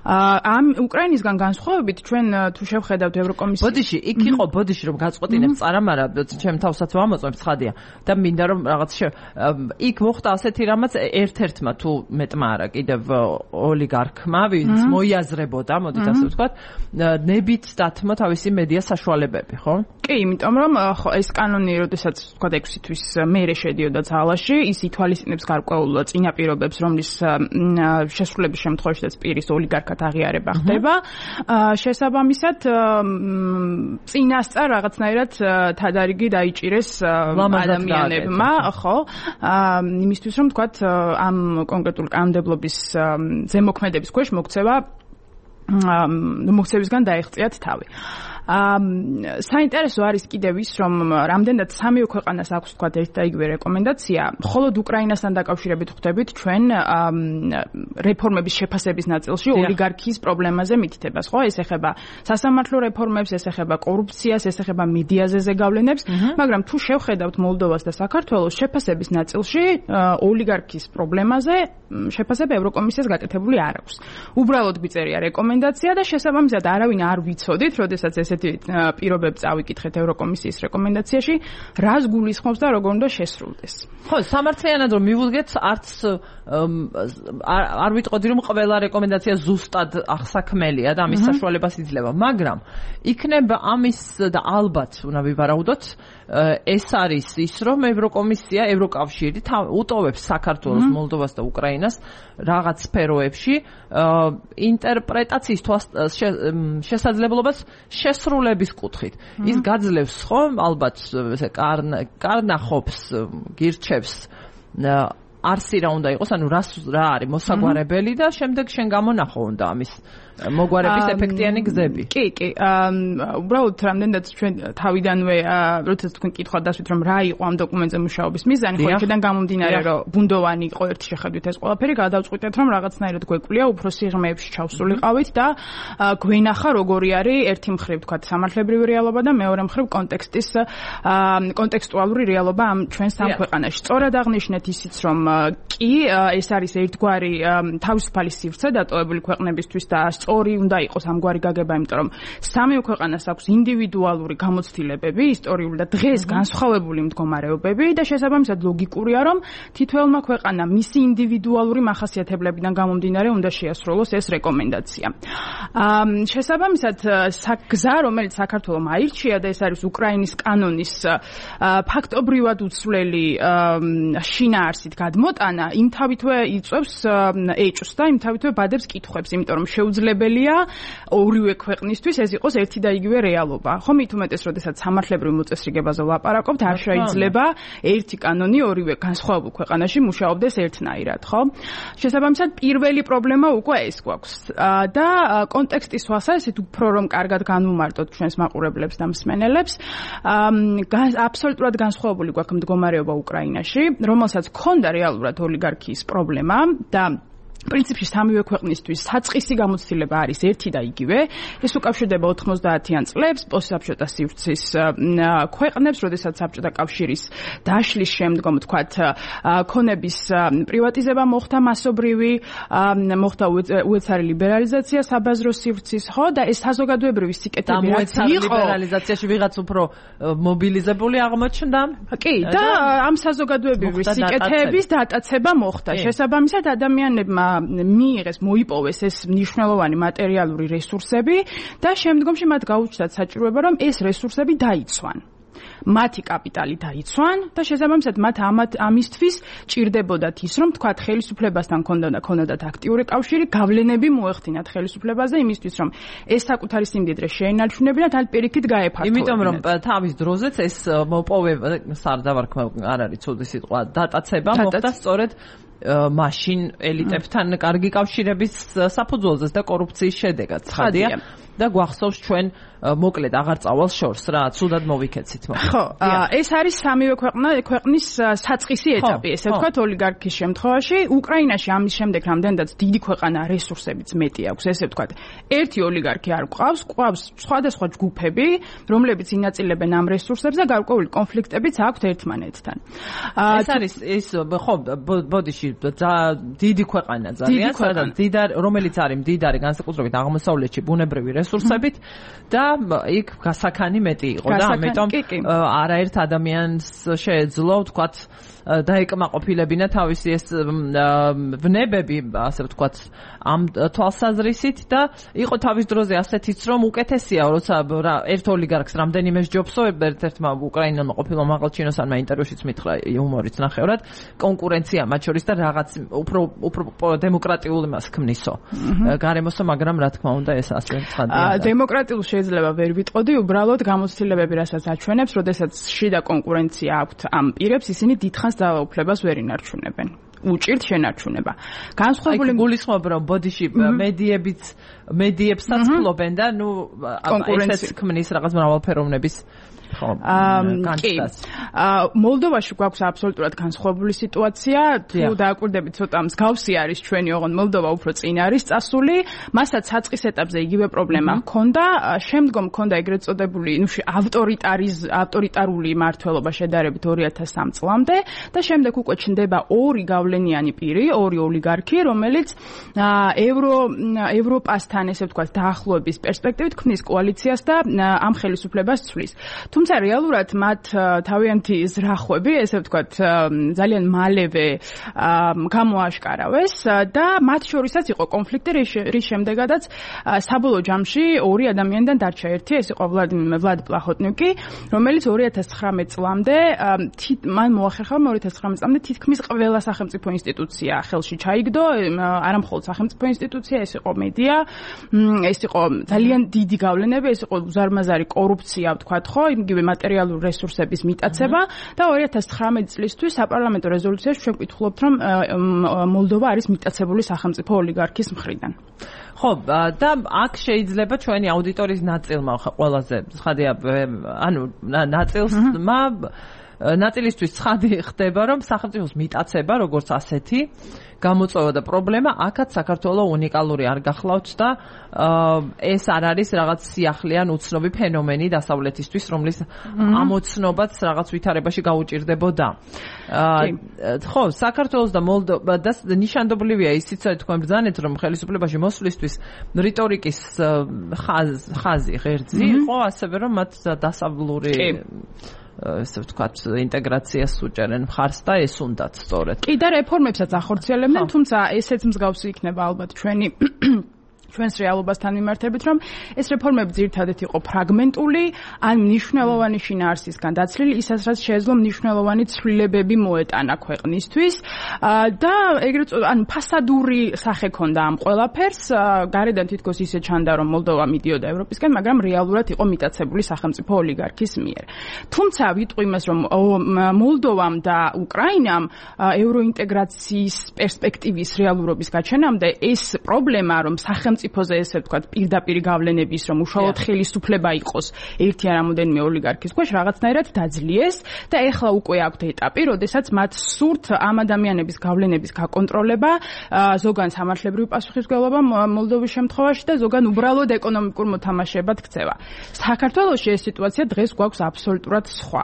ამ უკრაინისგან განსხვავებით ჩვენ თუ შევხედავთ ევროკომისიის ბოდიში, იქ იყო ბოდიში რომ გაწყვეტინებ წარამარა, ჩემ თავსაც ვამოწმებ ცხადია და მინდა რომ რაღაც იქ მოხდა ასეთი რამაც ერთ-ერთმა თუ მეტმა არა კიდევ ოლიგარქმა, ვინც მოიაზრებოდა, მოდით ასე ვთქვათ, ნებით დათმო თავისი მედია საშუალებები, ხო? ხო? კი, იმიტომ რომ ხო ეს კანონი, როდესაც თქვა ექვსი თვის მერე შედიოდა ძალაში, ის ითვალისწინებს გარკვეულ წინაპირობებს, რომლის შესრულების შემთხვევაშიც პირის ოლიგარქად აღიარება ხდება. შესაბამისად, წინასწარ რაღაცნაირად თადარიგი დაიჭირეს ადამიანებმა, ხო? იმისთვის რომ თქვა ამ კონკრეტულ კანონმდებლობის ზემოქმედების ქვეშ მოქცევა მოქცევისგან დაეღწიათ თავი. საინტერესო არის კიდევ ის, რომ რამდენად სამივე ქვეყანას აქვს თქვა ერთ და იგივე რეკომენდაცია, მხოლოდ უკრაინასთან დაკავშირებით ხვდებით ჩვენ რეფორმების შეფასების ნაწილში ოლიგარქიის პრობლემაზე მითითებას, ხო? ეს ეხება სასამართლო რეფორმებს, ეს ეხება კორუფციას, ეს ეხება მედიაზე ზეგავლენებს, მაგრამ თუ შევხედავთ მოლდოვას და საქართველოს შეფასების ნაწილში ოლიგარქიის პრობლემაზე შეფასება ევროკომისიას გაკეთებული არ აქვს. უბრალოდ მიწერია რეკომენდაცია და შესაბამისად არავინ არ ვიცოდით, როდესაც ეს პირობებს წავიკითხეთ ევროკომისიის რეკომენდაციაში, რას გულისხმობს და როგორ უნდა შესრულდეს. ხო, სამართლიანად რომ მივუძგეთ, არც არ ვიტყოდი რომ ყველა რეკომენდაცია ზუსტად ახსაქმელია და ამის საშუალებას იძლევა, მაგრამ იქნება ამის და ალბათ უნდა ვივარაუდოთ, ეს არის ის, რომ ევროკომისია, ევროკავშირი უტოვებს საქართველოს, მოლდოვას და უკრაინას რაღაც სფეროებში ინტერპრეტაციის შესაძლებლობას შესრულების კუთხით. ის გაძლევს ხომ ალბათ ესე კარნახობს, გირჩევს არსი რა უნდა იყოს, ანუ რა არის მოსაგვარებელი და შემდეგ შენ გამონახო უნდა ამის მოგვარების ეფექტიანი გზები. კი, კი. უბრალოდ რამდენადაც ჩვენ თავიდანვე როდესაც თქვენ კითხვა დასვით რომ რა იყო ამ დოკუმენტზე მუშაობის მიზანი, ხო იქიდან გამომდინარე რომ ბუნდოვანი იყო ერთი შეხედვით ეს ყველაფერი, გადავწყვიტეთ რომ რაღაცნაირად გვეკვлия უფრო სიღრმეებში ჩავსულიყავით და გვენახა როგორი არის ერთი მხრივ თქვა სამართლებრივი რეალობა და მეორე მხრივ კონტექსტის კონტექსტუალური რეალობა ამ ჩვენ სამ ქვეყანაში. სწორად აღნიშნეთ ისიც რომ კი ეს არის ერთგვარი თავისუფალი სივრცე დატოვებული ქვეყნებისთვის და სწორი უნდა იყოს ამგვარი გაგება, იმიტომ რომ სამივე ქვეყანას აქვს ინდივიდუალური გამოცდილებები, ისტორიული და დღეს განსხვავებული მდგომარეობები და შესაბამისად ლოგიკურია, რომ თითოეულმა ქვეყანამ მისი ინდივიდუალური მახასიათებლებიდან გამომდინარე უნდა შეასრულოს ეს რეკომენდაცია. შესაბამისად, გზა, რომელიც საქართველომ აირჩია და ეს არის უკრაინის კანონის ფაქტობრივად უცვლელი შინაარსით გადმოტანა, იმ თავითვე იწვევს ეჭვს და იმ თავითვე ბადებს კითხვებს, იმიტომ რომ შეუძლებელია ორივე ქვეყნისთვის ეს იყოს ერთი და იგივე რეალობა. ხო, მით უმეტეს, როდესაც სამართლებრივ მოწესრიგებაზე ვლაპარაკობთ, არ შეიძლება ერთი კანონი ორივე განსხვავებულ ქვეყანაში მუშაობდეს ერთნაირად, ხო? შესაბამისად, პირველი პრობლემა უკვე ეს გვაქვს. და კონტექსტის თვალსაზრისით უფრო რომ კარგად განვუმარტოთ ჩვენს მაყურებლებს და მსმენელებს, აბსოლუტურად განსხვავებული გვაქვს მდგომარეობა უკრაინაში, რომელსაც ჰქონდა რეალურად ოლიგარქიის პრობლემა და პრინციპში სამივე ქვეყნისთვის საწყისი გამოცდილება არის ერთი და იგივე. ეს უკავშირდება ოთხმოცდაათიან წლებს პოსტსაბჭოთა სივრცის ქვეყნებს, როდესაც საბჭოთა კავშირის დაშლის შემდგომ თქვათ ქონების პრივატიზება მოხდა მასობრივი, მოხდა უეცარი ლიბერალიზაცია საბაზრო სივრცის, ხო და ეს საზოგადოებრივი სიკეთები რაც იყო ლიბერალიზაციაში ვიღაც უფრო მობილიზებული აღმოჩნდა. კი, და ამ საზოგადოებრივი სიკეთების დატაცება მოხდა. შესაბამისად ადამიანებმა მიიღეს, მოიპოვეს ეს მნიშვნელოვანი მატერიალური რესურსები და შემდგომში მათ გაუჩნდათ საჭიროება, რომ ეს რესურსები დაიცვან. მათი კაპიტალი დაიცვან და შესაბამისად მათ ამათ ამისთვის ჭირდებოდათ ის, რომ თქვათ ხელისუფლებასთან ქონდათ აქტიური კავშირი, გავლენები მოეხდინათ ხელისუფლებაზე იმისთვის, რომ ეს საკუთარი სიმდიდრე შეენარჩუნებინათ, ან პირიქით გაეფართოვებინათ. იმიტომ რომ თავის დროზეც ეს მოპოვება, სარდავარქმა არ არის ცუდი სიტყვა, დატაცება მოხდა სწორედ მაშინ ელიტებთან კარგი კავშირების საფუძველზეც და კორუფციის შედეგად. ცხადია და გვახსოვს ჩვენ მოკლედ აღარ წავალ შორს რა, ცუდად მოვიქეცით მაგრამ. ხო, ეს არის სამივე ქვეყნა ქვეყნის საწყისი ეტაპი, ესე ვთქვათ, ოლიგარქიის შემთხვევაში. უკრაინაში ამის შემდეგ რამდენადაც დიდი ქვეყანა რესურსებიც მეტი აქვს, ესე ვთქვათ, ერთი ოლიგარქი არ გვყავს, გვყავს სხვადასხვა ჯგუფები, რომლებიც ინაწილებენ ამ რესურსებს და გარკვეული კონფლიქტებიც აქვთ ერთმანეთთან. ეს არის ის ხო, ბოდიში დიდი ქვეყანა ძალიან, სადაც დიდარ, რომელიც არის მდიდარი განსაკუთრებით აღმოსავლეთში ბუნებრივი რესურსებით და იქ გასაქანი მეტი იყო და ამიტომ არაერთ ადამიანს შეეძლო ვთქვათ დაეკმაყოფილებინა თავისი ეს ვნებები, ასე ვთქვათ, ამ თვალსაზრისით და იყო თავის დროზე ასეთიც, რომ უკეთესია, როცა ერთ ოლიგარქს რამდენიმე ჯობსო, ერთ-ერთმა უკრაინელმა ყოფილმა მაღალჩინოსანმა ინტერვიუშიც მითხრა იუმორიც ნახევრად, კონკურენცია მათ შორის და რაღაც უფრო უფრო დემოკრატიულ იმას ქმნისო. გარემოსო, მაგრამ რა თქმა უნდა ეს ასე ცხადია. დემოკრატიულ შეიძლება ვერ ვიტყოდი, უბრალოდ გამოცდილებები, რასაც აჩვენებს, როდესაც შიდა კონკურენცია აქვთ ამ პირებს, ისინი დიდხანს დაუფლებას ვერ ინარჩუნებენ. უჭირთ შენარჩუნება. განსხვავებული გულისხმობ რომ ბოდიში მედიებიც მედიებსაც ფლობენ და ნუ ესეც ქმნის რაღაც მრავალფეროვნების კი. მოლდოვაში გვაქვს აბსოლუტურად განსხვავებული სიტუაცია. თუ დააკვირდებით, ცოტა მსგავსი არის ჩვენი, ოღონდ მოლდოვა უფრო წინ არის წასული. მასაც საწყის ეტაპზე იგივე პრობლემა ჰქონდა. შემდგომ ჰქონდა ეგრეთ წოდებული, ნუ ავტორიტარიზ ავტორიტარული მმართველობა შედარებით ორი ათას სამ წლამდე და შემდეგ უკვე ჩნდება ორი გავლენიანი პირი, ორი ოლიგარქი, რომელიც ევრო ევროპასთან, ესე ვთქვათ, დაახლოების პერსპექტივით ქმნის კოალიციას და ამ ხელისუფლებას ცვლის. თუმცა რეალურად მათ თავიანთი ზრახვები, ესე ვთქვათ, ძალიან მალევე გამოაშკარავეს და მათ შორისაც იყო კონფლიქტი, რის შემდეგაც საბოლოო ჯამში ორი ადამიანიდან დარჩა ერთი, ეს იყო ვლად პლაჰოტნიკი, რომელიც ორი ათას ცხრამეტ წლამდე მან მოახერხა ორი ათას ცხრამეტ წლამდე თითქმის ყველა სახელმწიფო ინსტიტუცია ხელში ჩაიგდო, არა მხოლოდ სახელმწიფო ინსტიტუცია, ეს იყო მედია, ეს იყო ძალიან დიდი გავლენები, ეს იყო უზარმაზარი კორუფცია, ვთქვათ, ხო, იგივე მატერიალური რესურსების მიტაცება და ორი ათას ცხრამეტ წლისთვის საპარლამენტო რეზოლუციაში ჩვენ ვკითხულობთ, რომ მოლდოვა არის მიტაცებული სახელმწიფო ოლიგარქის მხრიდან. ხო, და აქ შეიძლება ჩვენი აუდიტორიის ნაწილმა ყველაზე ცხადია, ანუ ნაწილმა ნაწილისთვის ცხადი ხდება, რომ სახელმწიფოს მიტაცება, როგორც ასეთი, გამოწვევა და პრობლემა აქაც საქართველოს უნიკალური არ გახლავთ და ეს არ არის რაღაც სიახლეან უცნობი ფენომენი დასავლეთისთვის, რომლის ამოცნობაც რაღაც ვითარებაში გაუჭირდებოდა. ხო, საქართველოს და მოლდოვა და ნიშანდობლივია ისიც, რომ თქვენ ბრძანეთ, რომ ხელისუფლებაში მოსვლისთვის რიტორიკის ხაზი ღერძი იყო, ასევე რომ მათ დასავლური ესე ვთქვათ, ინტეგრაციას უჭერენ მხარს და ეს უნდათ სწორედ. კი და რეფორმებსაც ახორციელებდნენ, თუმცა ესეც მსგავსი იქნება ალბათ ჩვენი ჩვენს რეალობასთან მიმართებით, რომ ეს რეფორმები ძირითადად იყო ფრაგმენტული, ან მნიშვნელოვანი შინაარსისგან დაცლილი, ისაც რაც შეეძლო მნიშვნელოვანი ცვლილებები მოეტანა ქვეყნისთვის და ეგრეთ ან ფასადური სახე ჰქონდა ამ ყველაფერს, გარედან თითქოს ისე ჩანდა, რომ მოლდოვა მიდიოდა ევროპისკენ, მაგრამ რეალურად იყო მიტაცებული სახელმწიფო ოლიგარქის მიერ. თუმცა ვიტყვი იმას, რომ მოლდოვამ და უკრაინამ ევროინტეგრაციის პერსპექტივის რეალურობის გაჩენამდე ეს პრობლემა, რომ სახელმწიფო სახელმწიფოზე ესე ვთქვათ პირდაპირ გავლენების რომ უშუალოდ ხელისუფლება იყოს ერთი ან რამოდენიმე ოლიგარქის ქვეშ რაღაცნაირად დაძლიეს და ეხლა უკვე აქვთ ეტაპი, როდესაც მათ სურთ ამ ადამიანების გავლენების გაკონტროლება, ზოგან სამართლებრივი პასუხისმგებლობა მოლდოვის შემთხვევაში და ზოგან უბრალოდ ეკონომიკურ მოთამაშეებად ქცევა. საქართველოში ეს სიტუაცია დღეს გვაქვს აბსოლუტურად სხვა.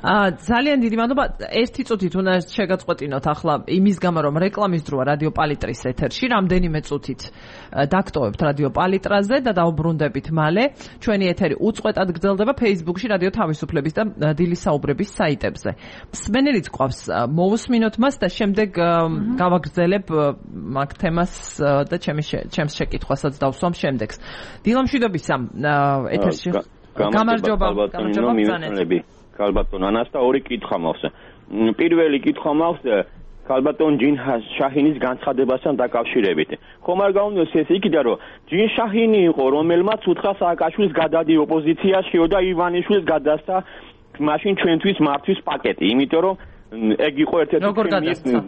ძალიან დიდი მადლობა. ერთი წუთით უნდა შეგაწყვეტინოთ ახლა იმის გამო, რომ რეკლამის დროა რადიო პალიტრის ეთერში, რამდენიმე წუთით დაგტოვებთ რადიო პალიტრაზე და დაუბრუნდებით მალე. ჩვენი ეთერი უწყვეტად გრძელდება Facebook-ში რადიო თავისუფლების და დილის საუბრების საიტებზე. მსმენელიც გვყავს, მოусმინოთ მას და შემდეგ გავაგრძელებ მაგ თემას და ჩემს შეკითხვასაც დავსვამ შემდეგს. დილამშვიდობის ამ ეთერში. გამარჯობა, გამარჯობა ბრძანეთ. ქალბატონ ანას და ორი კითხვა მაქვს. პირველი კითხვა მაქვს ქალბატონ ჯინ შაჰინის განცხადებასთან დაკავშირებით. ხომ არ გაუნდოს ეს იქიდან, რომ ჯინ შაჰინი იყო, რომელმაც უთხრა სააკაშვილის გადადი ოპოზიციაშიო და ივანიშვილს გადასცა მაშინ ჩვენთვის მართვის პაკეტი, იმიტომ რომ ეგ იყო ერთ-ერთი როგორ გადასცა?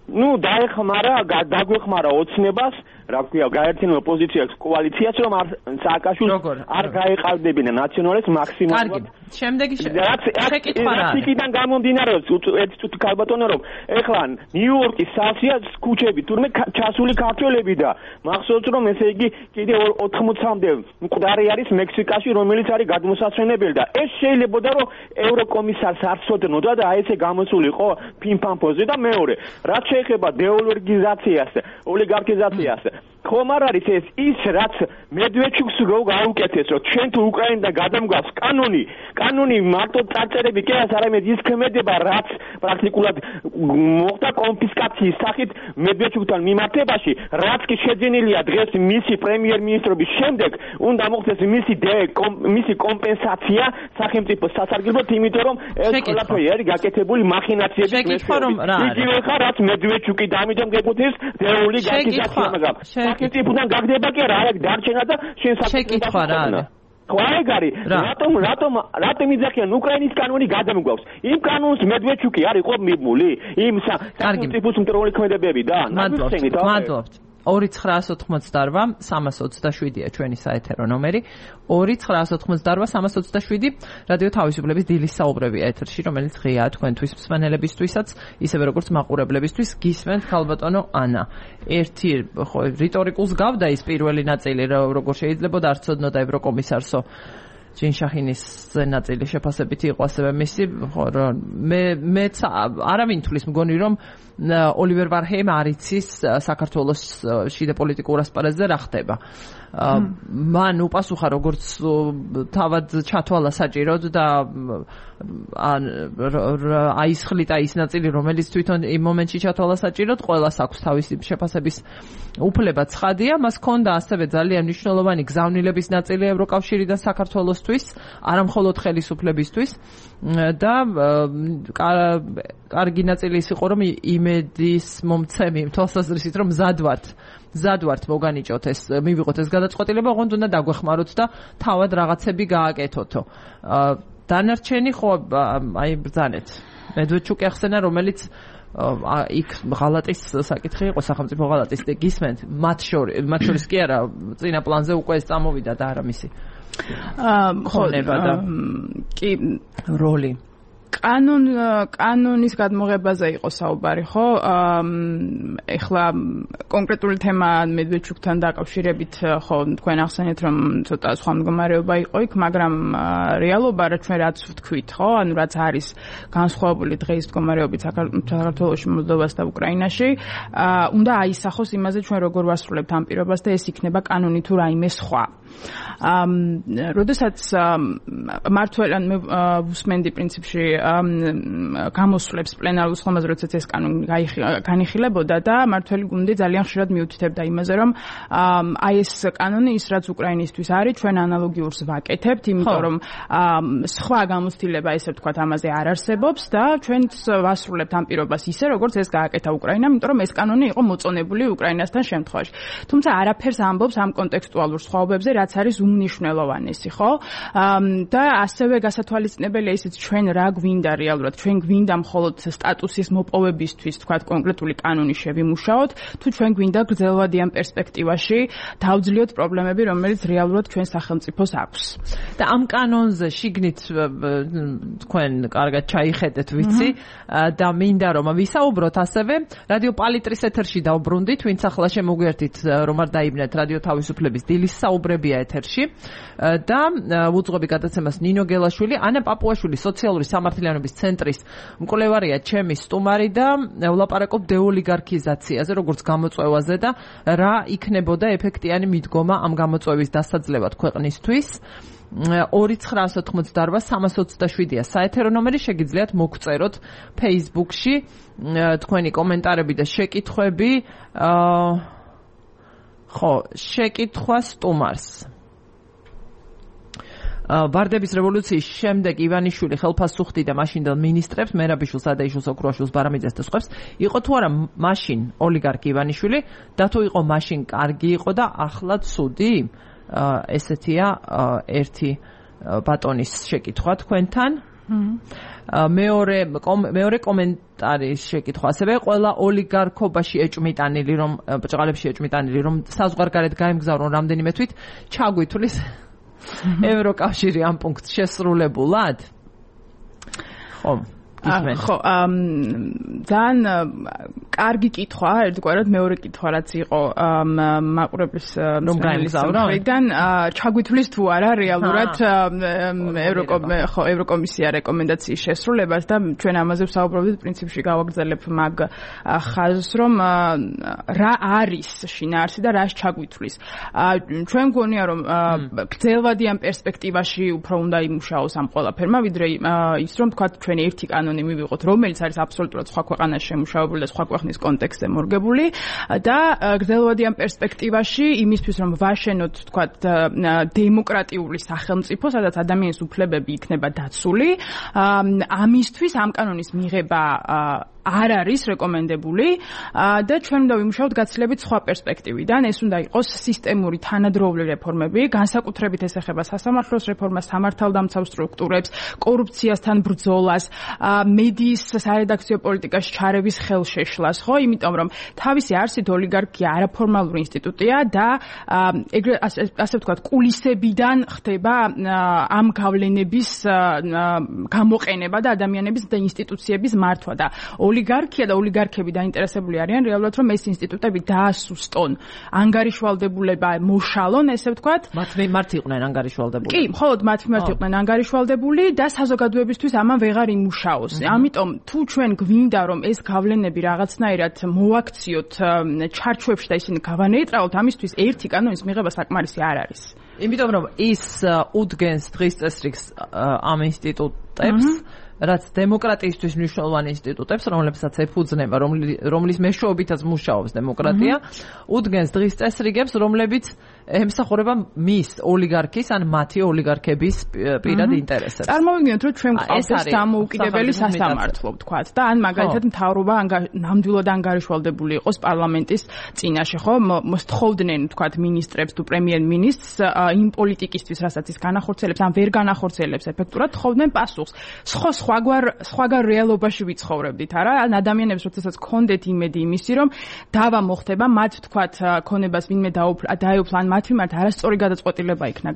ნუ დაეხმარა, დაგვეხმარა ოცნებას, რა ქვია, გაერთიანებულ ოპოზიციას კოალიციას, რომ სააკაშვილს არ გაეყარდებინა ნაციონალისტ მაქსიმალურად. შემდეგი შეკითხვა რა? იქიდან გამომდინარეობს ერთი წუთი ქალბატონო, რომ ეხლა ნიუ-იორკის სასია ქუჩები, თურმე ჩასული ქართველები და მახსოვს, რომ ესე იგი კიდე ოთხმოცამდე მკვდარი არის მექსიკაში, რომელიც არის გადმოსაცვენებელი და ეს შეიძლებოდა, რომ ევროკომისარს არ სოდნოდა და აი ესე გამოსულიყო ფიმფამფოზე და მეორე, რაც შეეხება დეოლოგიზაციას, ოლიგარქიზაციას, ხომ არ არის ეს ის რაც მედვედჩუკს გაუკეთეს რომ ჩვენ თუ უკრაინიდან გადამგვავს კანონი კანონი მარტო წარწერები კი არა არამედ ის ქმედება რაც პრაქტიკულად მოხდა კონფისკაციის სახით მედვედჩუკთან მიმართებაში რაც კი შეძენილია დღეს მისი პრემიერ-მინისტრობის შემდეგ უნდა მოხდეს მისი მისი კომპენსაცია სახელმწიფო სასარგებლოდ იმიტომ რომ ეს ყველაფერი არის გაკეთებული მახინაციების მეშვეობით იგივე ხარ რაც მედვედჩუკი დამიდომ გეკუთვნის დეული გაკეთება მაგრამ სახელმწიფოდან გაგდება კი არა აქ დარჩენა და შენ საკითხი რა არის ხვაეგარი რატომ რატომ რატომ იძახიან უკრაინის კანონი გადამგვავს იმ კანონს მედვედჩუკი არ იყო მიბმული იმ სახელმწიფოს მტრული ქმედებები და მადლობთ მადლობთ ორი ცხრაას ოთხმოცდაორვა სამას ოცდაშვიდია ჩვენი საეთერო ნომერი ორი ცხრაას ოთხმოცდაორვა სამას ოცდაშვიდი რადიო თავისუფლების დილის საუბრებია ეთერში რომელიც ღიაა თქვენთვის მსმენელებისთვისაც ისევე როგორც მაყურებლებისთვის გისმენთ ქალბატონო ანა ერთი ხო რიტორიკულს გავდა ის პირველი ნაწილი როგორ შეიძლება არ ცოდნოდა ევროკომისარსო ჯინშაჰინის ნაწილი შეფასებითი იყო ასევე მისი ხო მე მეც არავინ თulis მგონი რომ ოლივერ ვარჰეიმ არ იცის საქართველოს შიდა პოლიტიკურ ასპარეზზე რა ხდება მან უპასუხა როგორც თავად ჩათვალა საჭიროდ და აისხლიტა ის ნაწილი რომელიც თვითონ იმ მომენტში ჩათვალა საჭიროდ ყველას აქვს თავისი შეფასების უფლება ცხადია მას ჰქონდა ასევე ძალიან მნიშვნელოვანი გზავნილების ნაწილი ევროკავშირიდან საქართველოსთვის არა მხოლოდ ხელისუფლებისთვის და კარგი ნაწილი ის იყო რომ იმედის მომცემი თვალსაზრისით რომ მზად ვართ მზად ვართ მოგანიჭოთ ეს მივიღოთ ეს გადაწყვეტილება ოღონდ უნდა დაგვეხმაროთ და თავად რაღაცები გააკეთოთო დანარჩენი ხო აი ბრძანეთ მედვედჩუკი ახსენა რომელიც იქ ღალატის საკითხი იყო სახელმწიფო ღალატის და გისმენთ მათ შორის მათ შორის კი არა წინა პლანზე უკვე ეს წამოვიდა და არა მისი ხონება და კი როლი კანონ კანონის გადმოღებაზე იყო საუბარი ხო ეხლა კონკრეტული თემა მედვედჩუკთან დაკავშირებით ხო თქვენ ახსენეთ რომ ცოტა სხვა მდგომარეობა იყო იქ მაგრამ რეალობა რა ჩვენ რაც ვთქვით ხო ანუ რაც არის განსხვავებული დღეის მდგომარეობით საქართველოში მოლდოვას და უკრაინაში უნდა აისახოს იმაზე ჩვენ როგორ ვასრულებთ ამ პირობას და ეს იქნება კანონი თუ რაიმე სხვა როდესაც მართველან ვუსმენდი პრინციპში გამოსვლებს პლენარულ სხდომაზე როდესაც ეს კანონი განიხილებოდა და მართველი გუნდი ძალიან ხშირად მიუთითებდა იმაზე რომ აი ეს კანონი ის რაც უკრაინისთვის არის ჩვენ ანალოგიურს ვაკეთებთ იმიტომ რომ სხვა გამოცდილება ესე ვთქვათ ამაზე არ არსებობს და ჩვენც ვასრულებთ ამ პირობას ისე როგორც ეს გააკეთა უკრაინამ იმიტომ რომ ეს კანონი იყო მოწონებული უკრაინასთან შემთხვევაში თუმცა არაფერს ამბობს ამ კონტექსტუალურ სხვაობებზე რაც არის უმნიშვნელოვანესი ხო და ასევე გასათვალისწინებელია ისიც ჩვენ რა გვინდა რეალურად ჩვენ გვინდა მხოლოდ სტატუსის მოპოვებისთვის თქვათ კონკრეტული კანონი შევიმუშაოთ თუ ჩვენ გვინდა გრძელვადიან პერსპექტივაში დავძლიოთ პრობლემები რომელიც რეალურად ჩვენ სახელმწიფოს აქვს და ამ კანონზე შიგნით თქვენ კარგად ჩაიხედეთ ვიცი და მინდა რომ ვისაუბროთ ასევე რადიო პალიტრის ეთერში დავბრუნდით ვინც ახლა შემოგვიერთით რომ არ დაიბნეთ რადიო თავისუფლების დილის საუბრებია ეთერში და უძღვები გადაცემას ნინო გელაშვილი ანა პაპუაშვილი სოციალური სამართლიანობის ცენტრის მკვლევარია ჩემი სტუმარი და ვლაპარაკობ დეოლიგარქიზაციაზე როგორც გამოწვევაზე და რა იქნებოდა ეფექტიანი მიდგომა ამ გამოწვევის დასაძლევად ქვეყნისთვის ორი ცხრაას ოთხმოცდაორვა სამას ოცდაშვიდია საეთერო ნომერი შეგიძლიათ მოგწეროთ Facebook-ში თქვენი კომენტარები და შეკითხვები ხო შეკითხვა სტუმარს ვარდების რევოლუციის შემდეგ ივანიშვილი ხელფასუხდი და მაშინდელ მინისტრებს მერაბიშვილს ადაიშვილს ოქროაშვილს ბარამიძეს და სხვებს იყო თუ არა მაშინ ოლიგარქი ივანიშვილი და თუ იყო მაშინ კარგი იყო და ახლა ცუდი ესეთია ერთი ბატონის შეკითხვა თქვენთან მეორე მეორე კომენტარის შეკითხვა ასევე ყველა ოლიგარქობაში ეჭმიტანილი რომ ბჭყალებში ეჭმიტანილი რომ საზღვარგარეთ გაემგზავრონ რამდენიმე თვით ჩაგვითulis ევროკავშირი ამ პუნქტს შესრულებულად ხო გისმენთ. ხო, ძალიან კარგი კითხვა, ერთგვარად მეორე კითხვა რაც იყო მაყურებლის მხრიდან ჩაგვითვლის თუ არა რეალურად ევროკომისია რეკომენდაციის შესრულებას და ჩვენ ამაზე ვსაუბრობთ პრინციპში გავაგრძელებ მაგ ხაზს რომ რა არის შინაარსი და რას ჩაგვითვლის. ჩვენ გქონია რომ გრძელვადიან პერსპექტივაში უფრო უნდა იმუშაოს ამ ყველაფერმა ვიდრე ის რომ თქვა ჩვენ ერთი კანონი მივიღოთ რომელიც არის აბსოლუტურად სხვა ქვეყანაში შემუშავებული და სხვა ქვეყნის კონტექსტზე მორგებული და გრძელვადიან პერსპექტივაში იმისთვის რომ ვაშენოთ თქვა დემოკრატიული სახელმწიფო სადაც ადამიანის უფლებები იქნება დაცული ამისთვის ამ კანონის მიღება არ არის რეკომენდებული და ჩვენ უნდა ვიმუშაოთ გაცილებით სხვა პერსპექტივიდან. ეს უნდა იყოს სისტემური თანადროული რეფორმები, განსაკუთრებით ეს ეხება სასამართლოს რეფორმას, სამართალდამცავ სტრუქტურებს, კორუფციასთან ბრძოლას, მედიის სარედაქციო პოლიტიკაში ჩარევის ხელშეშლას, ხო? იმიტომ რომ თავისი არსით ოლიგარქია არაფორმალური ინსტიტუტია და ეგრე ასე ვთქვათ, კულისებიდან ხდება ამ გავლენების გამოყენება და ადამიანების და ინსტიტუციების მართვა და ოლიგარქია და ოლიგარქები დაინტერესებული არიან რეალურად რომ ეს ინსტიტუტები დაასუსტონ ანგარიშვალდებულება მოშალონ ესე ვთქვათ მათ მიმართ იყვნენ ანგარიშვალდებული კი მხოლოდ მათ მიმართ იყვნენ ანგარიშვალდებული და საზოგადოებისთვის ამან ვეღარ იმუშაოს ამიტომ თუ ჩვენ გვინდა რომ ეს გავლენები რაღაცნაირად მოვაქციოთ ჩარჩოებში და ისინი გავანეიტრალოთ ამისთვის ერთი კანონის მიღება საკმარისი არ არის იმიტომ რომ ის უდგენს დღის წესრიგს ამ ინსტიტუტებს რაც დემოკრატიისთვის მნიშვნელოვანი ინსტიტუტებს, რომლებსაც ეფუძნება, რომლის მეშვეობითაც მუშაობს დემოკრატია, უდგენს დღის წესრიგებს, რომლებიც ემსახურება მის ოლიგარქის ან მათი ოლიგარქების პირად ინტერესებს. წარმოვიდგინოთ, რომ ჩვენ გვყავს დამოუკიდებელი სასამართლო, ვთქვათ, და ან მაგალითად მთავრობა ნამდვილად ანგარიშვალდებული იყოს პარლამენტის წინაშე, ხო? მოსთხოვდნენ, ვთქვათ, მინისტრებს თუ პრემიერ-მინისტრს იმ პოლიტიკისთვის, რასაც ის განახორციელებს, ან ვერ განახორციელებს ეფექტურად, თხოვდნენ პასუხს. სხვა სხვაგვარ სხვაგან რეალობაში ვიცხოვრებდით, არა? ან ადამიანებს როდესაც ქონდეთ იმედი იმისი, რომ დავა მოხდება, მათ ვთქვათ, ქონებას ვინმე დაეუფლა, ან მათ მიმართ არასწორი გადაწყვეტილება იქნა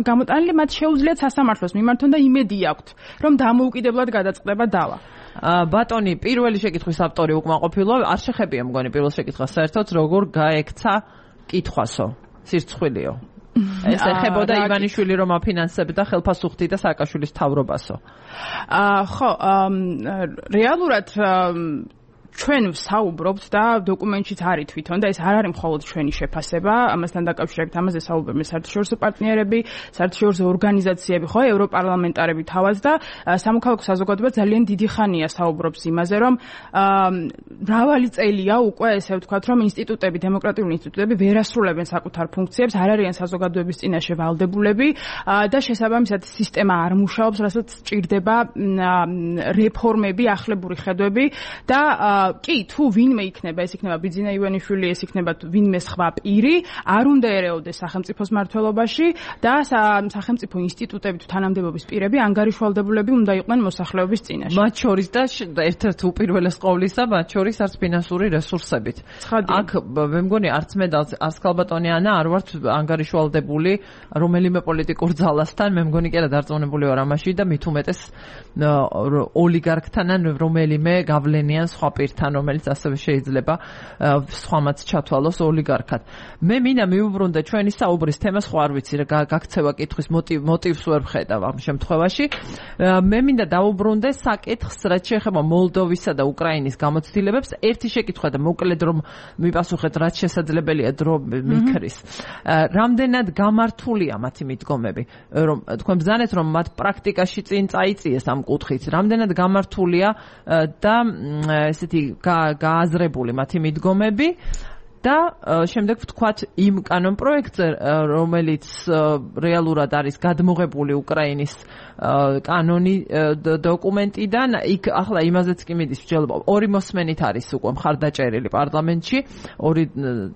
გამოტანილი, მათ შეუძლიათ სასამართლოს მიმართონ და იმედი აქვთ, რომ დამოუკიდებლად გადაწყდება დავა. ბატონი, პირველი შეკითხვის ავტორი უკმაყოფილო, არ შეხებია მგონი პირველ შეკითხვას საერთოდ, როგორ გაექცა კითხვასო, სირცხვილიო. ეს ეხებოდა ივანიშვილი რომ აფინანსებდა ხელფასუხთი და სააკაშვილის თავრობასო. ხო, რეალურად ჩვენ ვსაუბრობთ და დოკუმენტშიც არის თვითონ და ეს არ არის მხოლოდ ჩვენი შეფასება, ამასთან დაკავშირებით ამაზე საუბრობენ საერთაშორისო პარტნიორები, საერთაშორისო ორგანიზაციები, ხო, ევროპარლამენტარები თავად და სამოქალაქო საზოგადოება ძალიან დიდი ხანია საუბრობს იმაზე, რომ მრავალი წელია უკვე ესე ვთქვათ, რომ ინსტიტუტები, დემოკრატიული ინსტიტუტები ვერ ასრულებენ საკუთარ ფუნქციებს, არ არიან საზოგადოების წინაშე ვალდებულები და შესაბამისად სისტემა არ მუშაობს, რასაც სჭირდება რეფორმები, ახლებური ხედვები და კი, თუ ვინმე იქნება, ეს იქნება ბიძინა ივანიშვილი, ეს იქნება ვინმე სხვა პირი, არ უნდა ერეოდეს სახელმწიფოს მმართველობაში და სახელმწიფო ინსტიტუტები თუ თანამდებობის პირები ანგარიშვალდებულები უნდა იყვნენ მოსახლეობის წინაშე. მათ შორის და ერთ-ერთ უპირველეს ყოვლისა, მათ შორის არც ფინანსური რესურსებით. აქ მე მგონი არც მე და არც ქალბატონი ანა არ ვართ ანგარიშვალდებული რომელიმე პოლიტიკურ ძალასთან, მე მგონი კი არა დარწმუნებული ვარ ამაში და მით უმეტეს ოლიგარქთან ან რომელიმე გავლენიან სხვა პირთან, რომელიც ასევე შეიძლება სხვამაც ჩათვალოს ოლიგარქად. მე მინდა მიუბრუნდე ჩვენი საუბრის თემას, ხო არ ვიცი რა გაქცევა კითხვის მოტივს ვერ ვხედავ ამ შემთხვევაში. მე მინდა დაუბრუნდე საკითხს, რაც შეეხება მოლდოვისა და უკრაინის გამოცდილებებს. ერთი შეკითხვა და მოკლედ რომ მიპასუხეთ, რაც შესაძლებელია დრო მიქრის. რამდენად გამართულია მათი მიდგომები, რომ თქვენ ბრძანეთ, რომ მათ პრაქტიკაში წინ წაიწიეს ამ კუთხით. რამდენად გამართულია და ესეთი გააზრებული მათი მიდგომები და შემდეგ ვთქვათ იმ კანონ პროექტზე, რომელიც რეალურად არის გადმოღებული უკრაინის კანონი დოკუმენტიდან, იქ ახლა იმაზეც კი მიდის მსჯელობა. ორი მოსმენით არის უკვე მხარდაჭერილი პარლამენტში, ორი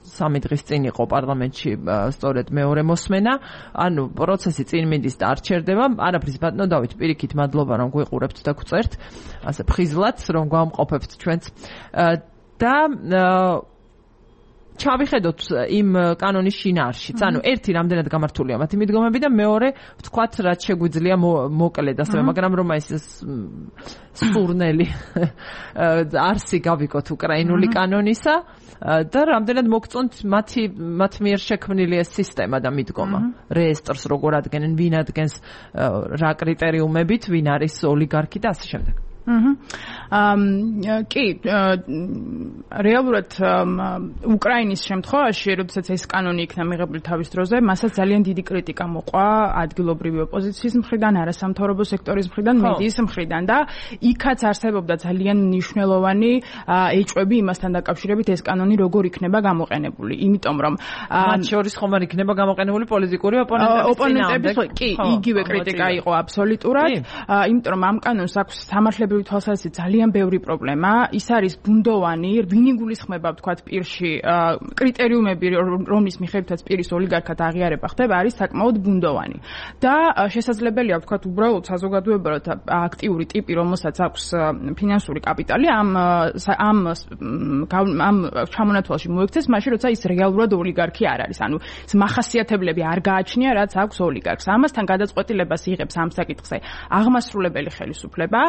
სამი დღის წინ იყო პარლამენტში სწორედ მეორე მოსმენა, ანუ პროცესი წინ მიდის და არ ჩერდება. არაფრის ბატონო დავით, პირიქით მადლობა რომ გვიყურებთ და გვწერთ, ასე ფხიზლად რომ გვამყოფებთ ჩვენც და ჩავიხედოთ იმ კანონის შინაარსშიც. ანუ ერთი რამდენად გამართულია მათი მიდგომები და მეორე ვთქვათ რაც შეგვიძლია მოკლედ ასევე, მაგრამ რომ ეს სურნელი არსი გავიკოთ უკრაინული კანონისა და რამდენად მოგწონთ მათი მათ მიერ შექმნილი ეს სისტემა და მიდგომა. რეესტრს როგორ ადგენენ, ვინ ადგენს, რა კრიტერიუმებით, ვინ არის ოლიგარქი და ასე შემდეგ. აა კი რეალურად უკრაინის შემთხვევაში, როდესაც ეს კანონი იქნა მიღებული თავის დროზე, მასაც ძალიან დიდი კრიტიკა მოყვა ადგილობრივი ოპოზიციის მხრიდან, არასამთავრობო სექტორის მხრიდან, მედიის მხრიდან და იქაც არსებობდა ძალიან მნიშვნელოვანი ეჭვები იმასთან დაკავშირებით ეს კანონი როგორ იქნება გამოყენებული. იმიტომ რომ მათ შორის ხომ არ იქნება გამოყენებული პოლიტიკური ოპონენტების წინააღმდეგ. კი, იგივე კრიტიკა იყო აბსოლუტურად, იმიტომ რომ ამ კანონს აქვს სამართლებრივი თვალსაზრისით ძალიან ბევრი პრობლემა. ის არის ბუნდოვანი, ვინ იგულისხმება ვთქვათ პირში კრიტერიუმები, რომლის მიხედვითაც პირის ოლიგარქად აღიარება ხდება, არის საკმაოდ ბუნდოვანი. და შესაძლებელია ვთქვათ უბრალოდ საზოგადოებრივად აქტიური ტიპი, რომელსაც აქვს ფინანსური კაპიტალი, ამ ამ ამ ჩამონათვალში მოექცეს, მაშინ როცა ის რეალურად ოლიგარქი არ არის. ანუ ეს მახასიათებლები არ გააჩნია, რაც აქვს ოლიგარქს. ამასთან გადაწყვეტილებას იღებს ამ საკითხზე აღმასრულებელი ხელისუფლება,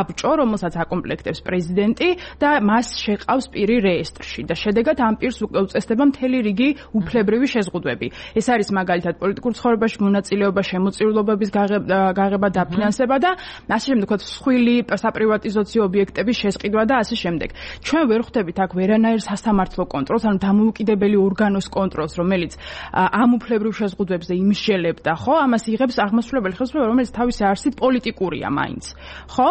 საბჭო, რომელსაც აკომპლექტებს პრეზიდენტი და მას შეყავს პირი რეესტრში და შედეგად ამ პირს უწესდება მთელი რიგი უფლებრივი შეზღუდვები. ეს არის მაგალითად პოლიტიკურ ცხოვრებაში მონაწილეობა, შემოწირულობების გაღება, დაფინანსება და ასე შემდეგ, ვთქვათ, სხვილი საპრივატიზაციო ობიექტების შესყიდვა და ასე შემდეგ. ჩვენ ვერ ხვდებით აქ ვერანაირ სასამართლო კონტროლს, ანუ დამოუკიდებელი ორგანოს კონტროლს, რომელიც ამ უფლებრივ შეზღუდვებზე იმსჯელებდა, ხო? ამას იღებს აღმასრულებელი ხელისუფლება, რომელიც თავისი არსით პოლიტიკურია მაინც. ხო?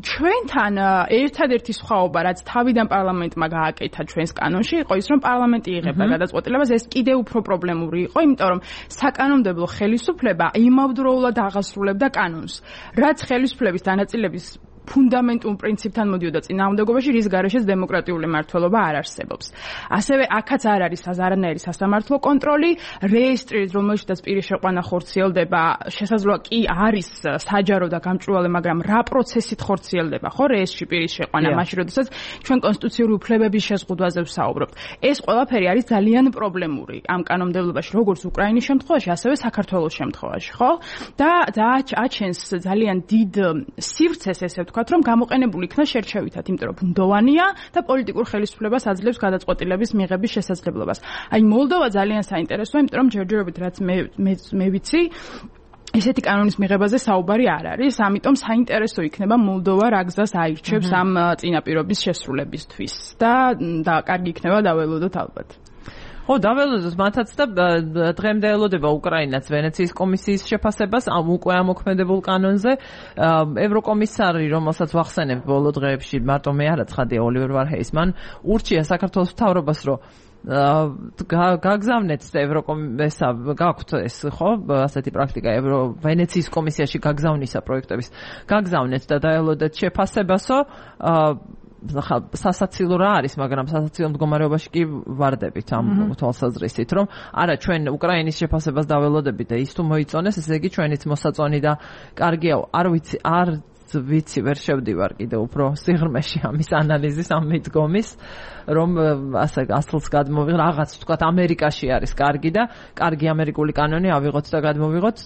ჩვენთან ერთადერთი სხვაობა, რაც თავიდან პარლამენტმა გააკეთა ჩვენს კანონში, იყო ის, რომ პარლამენტი იღებდა გადაწყვეტილებას, ეს კიდევ უფრო პრობლემური იყო, იმიტომ რომ საკანონმდებლო ხელისუფლება იმავდროულად აღასრულებდა კანონს, რაც ხელისუფლების დანაწილების ფუნდამენტურ პრინციპთან მოდიოდა წინააღმდეგობაში, რის გარეშეც დემოკრატიული მმართველობა არ არსებობს. ასევე აქაც არ არის არანაირი სასამართლო კონტროლი, რეესტრი, რომელშიც პირის შეყვანა ხორციელდება, შესაძლოა კი არის საჯარო და გამჭვირვალე, მაგრამ რა პროცესით ხორციელდება, ხო, რეესტრში პირის შეყვანა, მაშინ როდესაც ჩვენ კონსტიტუციური უფლებების შეზღუდვაზე ვსაუბრობთ. ეს ყველაფერი არის ძალიან პრობლემური ამ კანონმდებლობაში, როგორც უკრაინის შემთხვევაში, ასევე საქართველოს შემთხვევაში, ხო? და აჩენს ძალიან დიდ სივრცეს ესე ვთქვათ, რომ გამოყენებული იქნა შერჩევითად, იმიტომ რომ ბუნდოვანია და პოლიტიკურ ხელისუფლებას აძლევს გადაწყვეტილების მიღების შესაძლებლობას. აი მოლდოვა ძალიან საინტერესოა, იმიტომ რომ ჯერჯერობით რაც მე მე ვიცი, ესეთი კანონის მიღებაზე საუბარი არ არის, ამიტომ საინტერესო იქნება მოლდოვა რა გზას აირჩევს ამ წინაპირობის შესრულებისთვის და და კარგი იქნება დაველოდოთ ალბათ. ხო, დაველოდოთ მათაც და დღემდე ელოდება უკრაინაც ვენეციის კომისიის შეფასებას ამ უკვე ამოქმედებულ კანონზე. ევროკომისარი, რომელსაც ვახსენებ ბოლო დღეებში, მარტო მე არა ცხადია, ოლივერ ვარჰეის, მან ურჩია საქართველოს მთავრობას, რომ გაგზავნეთ ევროკომისა, გაქვთ ეს, ხო, ასეთი პრაქტიკა ევრო ვენეციის კომისიაში გაგზავნისა პროექტების. გაგზავნეთ და დაელოდეთ შეფასებასო, ხა სასაცილო რა არის, მაგრამ სასაცილო მდგომარეობაში კი ვარდებით ამ თვალსაზრისით, რომ არა ჩვენ უკრაინის შეფასებას დაველოდებით და ის თუ მოიწონეს, ესე იგი ჩვენიც მოსაწონი და კარგია, არ ვიცი, არ ვიცი, ვერ შევდივარ კიდე უფრო სიღრმეში ამის ანალიზის, ამ მიდგომის, რომ ასე ასლს გადმოვიღოთ, რაღაც თქვათ ამერიკაში არის კარგი და კარგი ამერიკული კანონი ავიღოთ და გადმოვიღოთ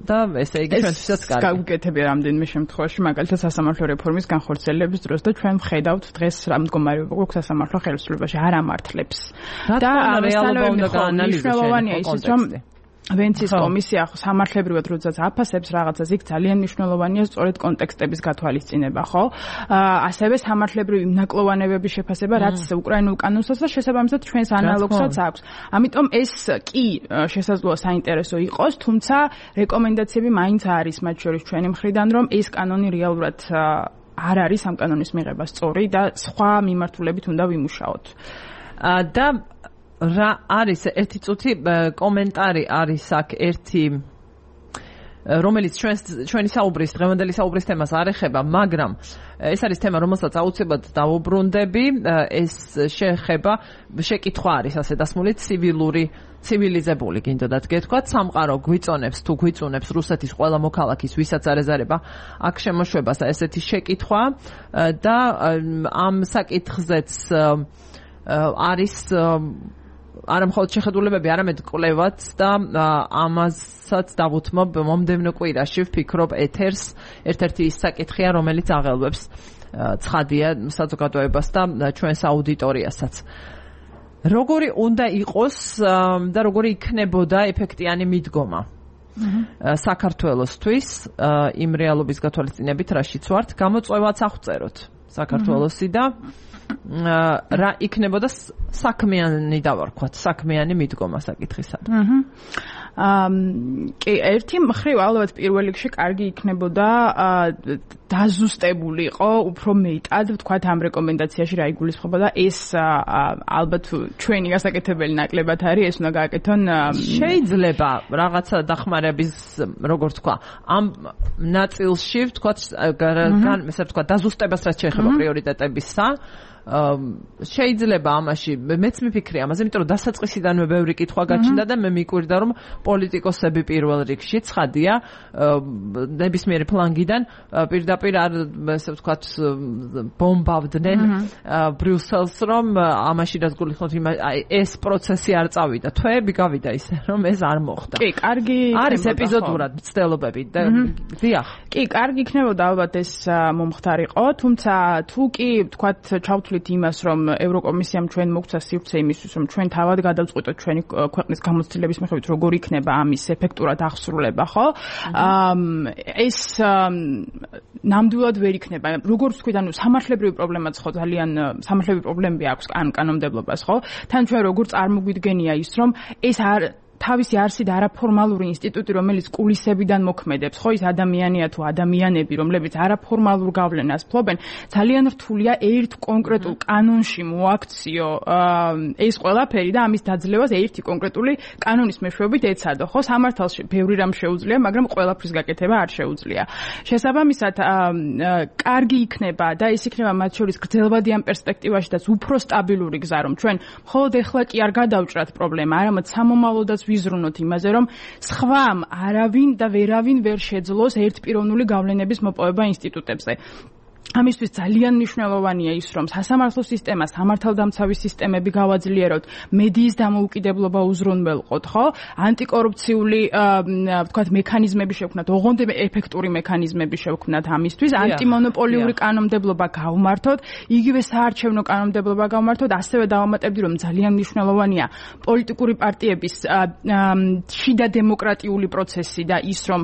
და ესე იგი ჩვენთვისაც კარგი. ეს გაუკეთებია რამდენიმე შემთხვევაში, მაგალითად სასამართლო რეფორმის განხორციელების დროს და ჩვენ ვხედავთ დღეს რა მდგომარეობა გვაქვს სასამართლო ხელისუფლებაში, არ ამართლებს. და რეალობა უნდა გაანალიზოს ის, რომ ვენეციის კომისია სამართლებრივად როდესაც აფასებს რაღაცას, იქ ძალიან მნიშვნელოვანია სწორედ კონტექსტების გათვალისწინება, ხო? ასევე სამართლებრივი ნაკლოვანებების შეფასება, რაც უკრაინულ კანონსაც და შესაბამისად ჩვენს ანალოგსაც აქვს. ამიტომ ეს კი შესაძლოა საინტერესო იყოს, თუმცა რეკომენდაციები მაინც არის მათ შორის ჩვენი მხრიდან, რომ ეს კანონი რეალურად არ არის ამ კანონის მიღება სწორი და სხვა მიმართულებით უნდა ვიმუშაოთ. და რა არის ერთი წუთი კომენტარი არის აქ ერთი, რომელიც ჩვენს ჩვენი საუბრის დღევანდელი საუბრის თემას არ ეხება, მაგრამ ეს არის თემა, რომელსაც აუცილებლად დავუბრუნდები. ეს შეეხება, შეკითხვა არის ასე დასმული, ცივილური ცივილიზებული გინდოდათ გეთქვათ, სამყარო გვიწონებს თუ გვიწუნებს რუსეთის ყველა მოქალაქის, ვისაც არ ეზარება აქ შემოშვებას, ესეთი შეკითხვა და ამ საკითხზეც არის არა მხოლოდ შეხედულებები, არამედ კვლევაც და ამასაც დავუთმობ მომდევნო კვირაში, ვფიქრობ ეთერს ერთ-ერთი ის საკითხია, რომელიც აღელვებს ცხადია საზოგადოებას და ჩვენს აუდიტორიასაც. როგორი უნდა იყოს და როგორი იქნებოდა ეფექტიანი მიდგომა საქართველოსთვის იმ რეალობის გათვალისწინებით, რაშიც ვართ, გამოწვევაც აღწეროთ საქართველოსი და რა იქნებოდა საქმიანი დავარქვათ, საქმიანი მიდგომა საკითხისადმი. აა კი, ერთი მხრივ ალბათ პირველ რიგში კარგი იქნებოდა დაზუსტებული იყო უფრო მეტად, ვთქვათ, ამ რეკომენდაციაში რა იგულისხმება და ეს ალბათ ჩვენი გასაკეთებელი ნაკლებად არის, ეს უნდა გააკეთონ. შეიძლება რაღაცა დახმარების, როგორც თქვა, ამ ნაწილში, ვთქვათ, გან, ესე ვთქვათ, დაზუსტებას რაც შეეხება პრიორიტეტებისა, შეიძლება ამაში მეც მიფიქრე ამაზე, იმიტომ რომ დასაწყისიდანვე ბევრი კითხვა გაჩნდა და მე მიკვირდა რომ პოლიტიკოსები პირველ რიგში ცხადია ნებისმიერი ფლანგიდან პირდაპირ არ ესე ვთქვათ ბომბავდნენ ბრიუსელს, რომ ამაში რაც გულისხმობთ ეს პროცესი არ წავიდა, თვეები გავიდა ისე რომ ეს არ მოხდა. კი, კარგი არის ეპიზოდურად მცდელობები და დიახ. კი, კარგი იქნებოდა ალბათ ეს მომხდარიყო, თუმცა თუ კი ვთქვათ ჩავთვლით იმას, რომ ევროკომისიამ ჩვენ მოგცა სივრცე იმისთვის, რომ ჩვენ თავად გადავწყვიტოთ ჩვენი ქვეყნის გამოცდილების მიხედვით, როგორ იქნება ამის ეფექტურად აღსრულება, ხო? ეს ნამდვილად ვერ იქნება. როგორც ვთქვით, ანუ სამართლებრივი პრობლემაც ხო ძალიან სამართლებრივი პრობლემები აქვს ან კანონმდებლობას, ხო? თან ჩვენ როგორ წარმოგვიდგენია ის, რომ ეს არ თავისი არსით არაფორმალური ინსტიტუტი, რომელიც კულისებიდან მოქმედებს, ხო, ის ადამიანია თუ ადამიანები, რომლებიც არაფორმალურ გავლენას ფლობენ, ძალიან რთულია ერთ კონკრეტულ კანონში მოაქციო ეს ყველაფერი და ამის დაძლევას ერთი კონკრეტული კანონის მეშვეობით ეცადო, ხო, სამართალში ბევრი რამ შეუძლია, მაგრამ ყველაფრის გაკეთება არ შეუძლია. შესაბამისად, კარგი იქნება და ეს იქნება მათ შორის გრძელვადი ამ პერსპექტივაშიც უფრო სტაბილური გზა, რომ ჩვენ მხოლოდ ეხლა კი არ გადავჭრათ პრობლემა, არამედ სამომავლოდაც ვიზრუნოთ იმაზე, რომ სხვამ არავინ და ვერავინ ვერ შეძლოს ერთპიროვნული გავლენების მოპოვება ინსტიტუტებზე. ამისთვის ძალიან მნიშვნელოვანია ის, რომ სასამართლო სისტემა, სამართალდამცავი სისტემები გავაძლიეროთ, მედიის დამოუკიდებლობა უზრუნველყოთ, ხო? ანტიკორუფციული, ვთქვათ, მექანიზმები შევქმნათ, ოღონდ ეფექტური მექანიზმები შევქმნათ ამისთვის, ანტიმონოპოლიური კანონმდებლობა გავმართოთ, იგივე საარჩევნო კანონმდებლობა გავმართოთ, ასევე დავამატებდი, რომ ძალიან მნიშვნელოვანია პოლიტიკური პარტიების შიდა დემოკრატიული პროცესი და ის, რომ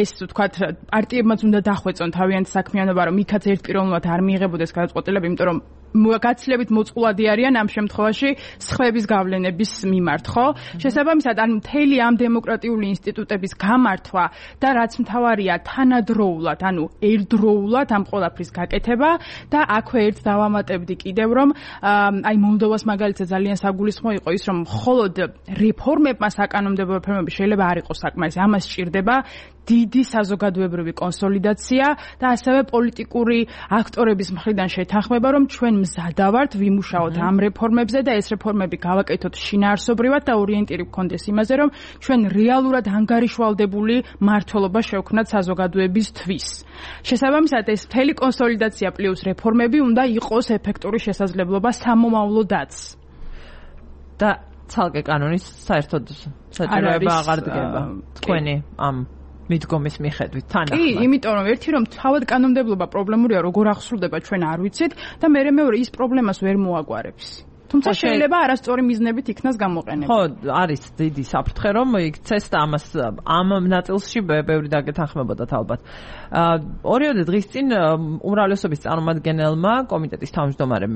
ეს, ვთქვათ, პარტიებმაც უნდა დახვეწონ თავიანთი საქმიანობა, რომ იქაც ერთპიროვნულად არ მიიღებოდეს გადაწყვეტილება, იმიტომ რომ გაცილებით მოწყვლადი არიან ამ შემთხვევაში სხვების გავლენების მიმართ, ხო? შესაბამისად, ან მთელი ამ დემოკრატიული ინსტიტუტების გამართვა და რაც მთავარია, თანადროულად, ანუ ერთდროულად ამ ყველაფრის გაკეთება და აქვე ერთ დავამატებდი კიდევ, რომ აი მოლდოვას მაგალითად ძალიან საგულისხმო იყო ის, რომ მხოლოდ რეფორმებმა საკანონმდებლო რეფორმები შეიძლება არ იყოს საკმარისი, ამას სჭირდება დიდი საზოგადოებრივი კონსოლიდაცია და ასევე პოლიტიკური აქტორების მხრიდან შეთანხმება, რომ ჩვენ მზადა ვართ ვიმუშაოთ ამ რეფორმებზე და ეს რეფორმები გავაკეთოთ შინაარსობრივად და ორიენტირი გქონდეს იმაზე, რომ ჩვენ რეალურად ანგარიშვალდებული მმართველობა შევქმნათ საზოგადოებისთვის. შესაბამისად, ეს მთელი კონსოლიდაცია პლუს რეფორმები უნდა იყოს ეფექტური შესაძლებლობა სამომავლოდაც. და ცალკე კანონის საერთოდ საჭიროება აღარ დგება. თქვენი ამ მიდგომის მიხედვით თანახმად. კი, იმიტომ რომ ერთი რომ თავად კანონმდებლობა პრობლემურია, როგორ აღსრულდება ჩვენ არ ვიცით და მე მეორე ის პრობლემას ვერ მოაგვარებს. თუმცა შეიძლება არასწორი მიზნებით იქნას გამოყენებული. ხო, არის დიდი საფრთხე რომ იქცეს და ამას ამ ნაწილში ბევრი დაგეთანხმებოდათ ალბათ. ორიოდე დღის წინ უმრავლესობის წარმომადგენელმა კომიტეტის თავმჯდომარემ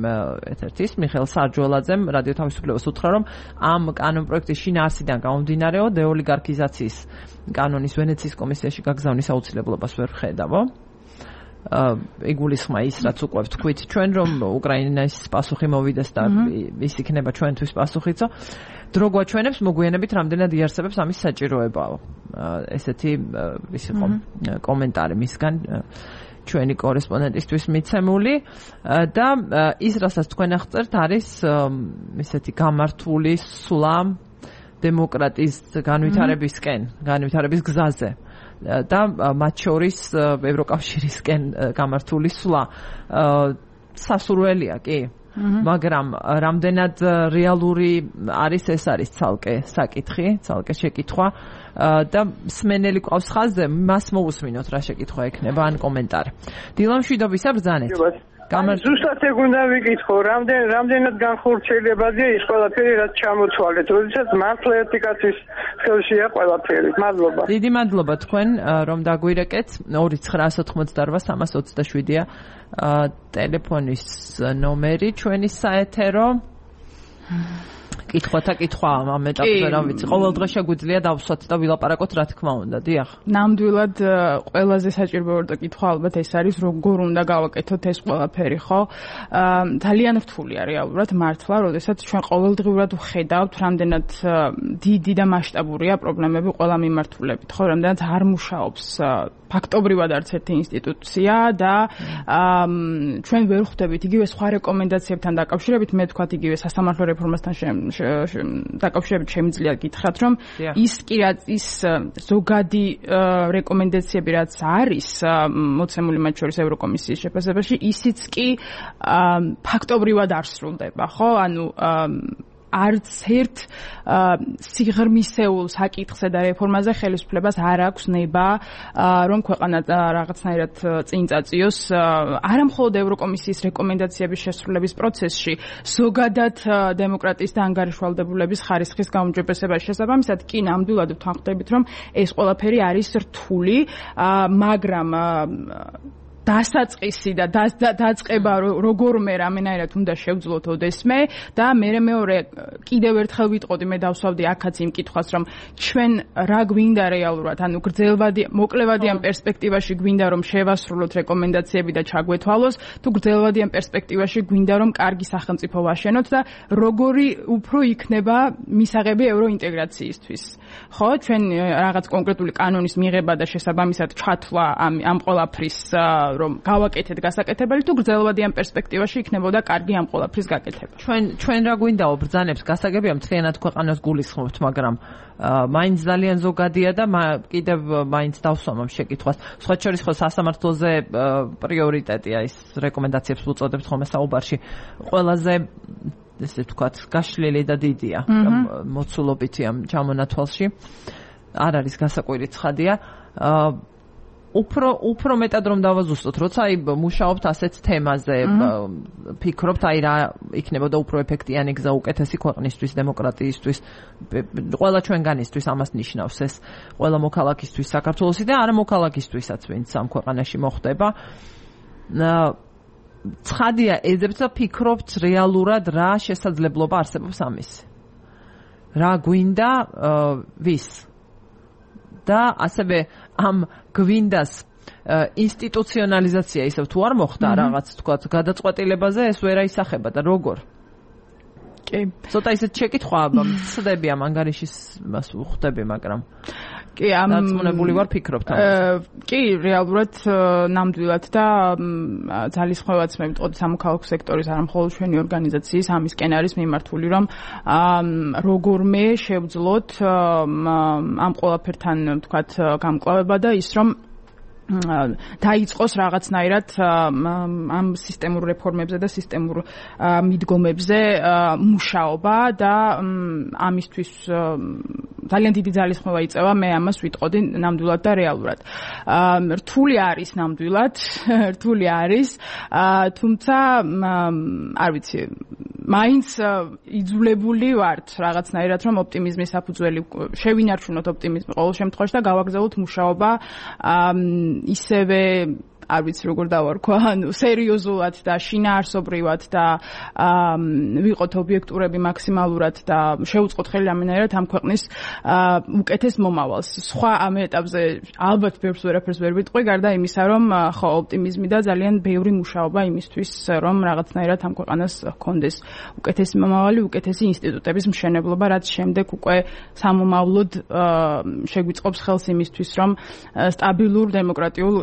ერთ-ერთის მიხეილ სარჯველაძემ რადიო თავისუფლებას უთხრა, რომ ამ კანონპროექტის შინაარსიდან გამომდინარეო დეოლიგარქიზაციის კანონის ვენეციის კომისიაში გაგზავნის აუცილებლობას ვერ ხედავო. იგულისხმა ის, რაც უკვე ვთქვით ჩვენ, რომ უკრაინის პასუხი მოვიდეს და ის იქნება ჩვენთვის პასუხიცო. დრო გვაჩვენებს მოგვიანებით რამდენად იარსებებს ამის საჭიროებაო. ესეთი ის იყო კომენტარი მისგან ჩვენი კორესპონდენტისთვის მიცემული და ის, რასაც თქვენ აღწერთ, არის ისეთი გამართული სულა დემოკრატიის განვითარებისკენ, განვითარების გზაზე. და მათ შორის ევროკავშირისკენ გამართული სვლა სასურველია, კი. მაგრამ რამდენად რეალური არის ეს არის ცალკე საკითხი, ცალკე შეკითხვა და მსმენელი ყავს ხაზზე, მას მოусმინოთ რა შეკითხვა ექნება ან კომენტარი. დილა მშვიდობისა ბრძანეთ. ზუსტად ეგ უნდა ვიკითხო, რამდენ რამდენად განხორციელებადია ის ყველაფერი, რაც ჩამოთვალეთ, როდესაც მართლა ერთი კაცის ხელშია ყველაფერი. მადლობა. დიდი მადლობა თქვენ რომ დაგვირეკეთ. ორი ცხრაასი ოცდაოთხმოცდაოთხ სამას ოცდაშვიდია ტელეფონის ნომერი ჩვენი საეთერო. კითხვათა კითხვა ამ ეტაპზე რა ვიცი. ყოველ დღე შეგვიძლია დავსვათ და ვილაპარაკოთ რა თქმა უნდა. დიახ. ნამდვილად ყველაზე საჭირო კითხვა ალბათ ეს არის როგორ უნდა გავაკეთოთ ეს ყველაფერი, ხო? ძალიან რთულია რეალურად მართლა, როდესაც ჩვენ ყოველდღიურად ვხედავთ, რამდენად დიდი და მასშტაბურია პრობლემები ყველა მიმართულებით, ხო? რამდენად არ მუშაობს ფაქტობრივად არც ერთი ინსტიტუცია და ჩვენ ვერ ხვდებით იგივე სხვა რეკომენდაციებთან დაკავშირებით, მე ვთქვათ იგივე სასამართლო რეფორმასთან დაკავშირებით შემიძლია გითხრათ, რომ ის კი რაც ის ზოგადი რეკომენდაციები რაც არის მოცემული მათ შორის ევროკომისიის შეფასებაში, ისიც კი ფაქტობრივად არ სრულდება, ხო? ანუ არც ერთ სიღრმისეულ საკითხზე და რეფორმაზე ხელისუფლებას არ აქვს ნება რომ ქვეყანა რაღაცნაირად წინ წაწიოს არა მხოლოდ ევროკომისიის რეკომენდაციების შესრულების პროცესში, ზოგადად დემოკრატიის და ანგარიშვალდებულების ხარისხის გაუმჯობესებაში. შესაბამისად, კი ნამდვილად ვთანხმდებით, რომ ეს ყველაფერი არის რთული, მაგრამ დასაწყისი და დაწყება როგორმე რამენაირად უნდა შევძლოთ ოდესმე და მე მეორე კიდევ ერთხელ ვიტყოდი, მე დავსვავდი აქაც იმ კითხვას, რომ ჩვენ რა გვინდა რეალურად, ანუ გრძელვადი მოკლევადიან პერსპექტივაში გვინდა რომ შევასრულოთ რეკომენდაციები და ჩაგვეთვალოს, თუ გრძელვადიან პერსპექტივაში გვინდა რომ კარგი სახელმწიფო ვაშენოთ და როგორი უფრო იქნება მისაღები ევროინტეგრაციისთვის. ხო, ჩვენ რაღაც კონკრეტული კანონის მიღება და შესაბამისად ჩათვლა ამ ამ ყველაფრის რომ გავაკეთეთ გასაკეთებელი, თუ გრძელვადიან პერსპექტივაში იქნებოდა კარგი ამ ყველაფრის გაკეთება. ჩვენ ჩვენ რა გვინდაო ბრძანებს გასაგებია მთლიანად ქვეყანას გულისხმობთ, მაგრამ მაინც ძალიან ზოგადია და კიდევ მაინც დავსვამ ამ შეკითხვას. სხვა შორის ხო სასამართლოზე პრიორიტეტია ის რეკომენდაციებს უწოდებთ ხოლმე საუბარში. ყველაზე ესე ვთქვათ, გაშლილი და დიდია მოცულობითი ამ ჩამონათვალში. არ არის გასაკვირი ცხადია. უფრო უფრო მეტად რომ დავაზუსტოთ, როცა აი მუშაობთ ასეთ თემაზე, ფიქრობთ აი რა იქნებოდა უფრო ეფექტიანი გზა უკეთესი ქვეყნისთვის, დემოკრატიისთვის, ყველა ჩვენგანისთვის ამას ნიშნავს ეს, ყველა მოქალაქისთვის საქართველოსი და არა მოქალაქისთვისაც, ვინც ამ ქვეყანაში მოხდება. ცხადია, ეძებთ და ფიქრობთ რეალურად რა შესაძლებლობა არსებობს ამის. რა გვინდა ვის? და ასევე ამ გვინდას ინსტიტუციონალიზაცია ისევ თუ არ მოხდა რაღაც თქვა გადაწყვეტილებაზე ეს ვერ აისახება და როგორ? კი, ცოტა ისეთ შეკითხვა ვწდები ამ ანგარიშის მას ვხვდები, მაგრამ კი, ამ დაწმუნებული ვარ ფიქრობთ ამაზე. კი, რეალურად ნამდვილად და ძალისხმევაც მე ვიტყოდი სამოქალაქო სექტორის არა მხოლოდ ჩვენი ორგანიზაციის ამისკენ არის მიმართული, რომ როგორმე შევძლოთ ამ ყველაფერთან ვთქვათ გამკლავება და ის რომ დაიწყოს რაღაცნაირად ამ სისტემურ რეფორმებზე და სისტემურ მიდგომებზე მუშაობა და ამისთვის ძალიან დიდი ძალისხმევა იწევა, მე ამას ვიტყოდი ნამდვილად და რეალურად. რთული არის ნამდვილად, რთული არის, თუმცა არ ვიცი, მაინც იძულებული ვართ რაღაცნაირად რომ ოპტიმიზმის საფუძველი შევინარჩუნოთ ოპტიმიზმი ყოველ შემთხვევაში და გავაგზავნოთ მუშაობა ისევე არ ვიცი როგორ დავარქვა, ანუ სერიოზულად და შინაარსობრივად და ვიყოთ ობიექტურები მაქსიმალურად და შევუწყოთ ხელი რამენაირად ამ ქვეყნის უკეთეს მომავალს. სხვა ამ ეტაპზე ალბათ ბევრს ვერაფერს ვერ ვიტყვი, გარდა იმისა, რომ ხო ოპტიმიზმი და ძალიან ბევრი მუშაობა იმისთვის, რომ რაღაცნაირად ამ ქვეყანას ჰქონდეს უკეთესი მომავალი, უკეთესი ინსტიტუტების მშენებლობა, რაც შემდეგ უკვე სამომავლოდ შეგვიწყობს ხელს იმისთვის, რომ სტაბილურ დემოკრატიულ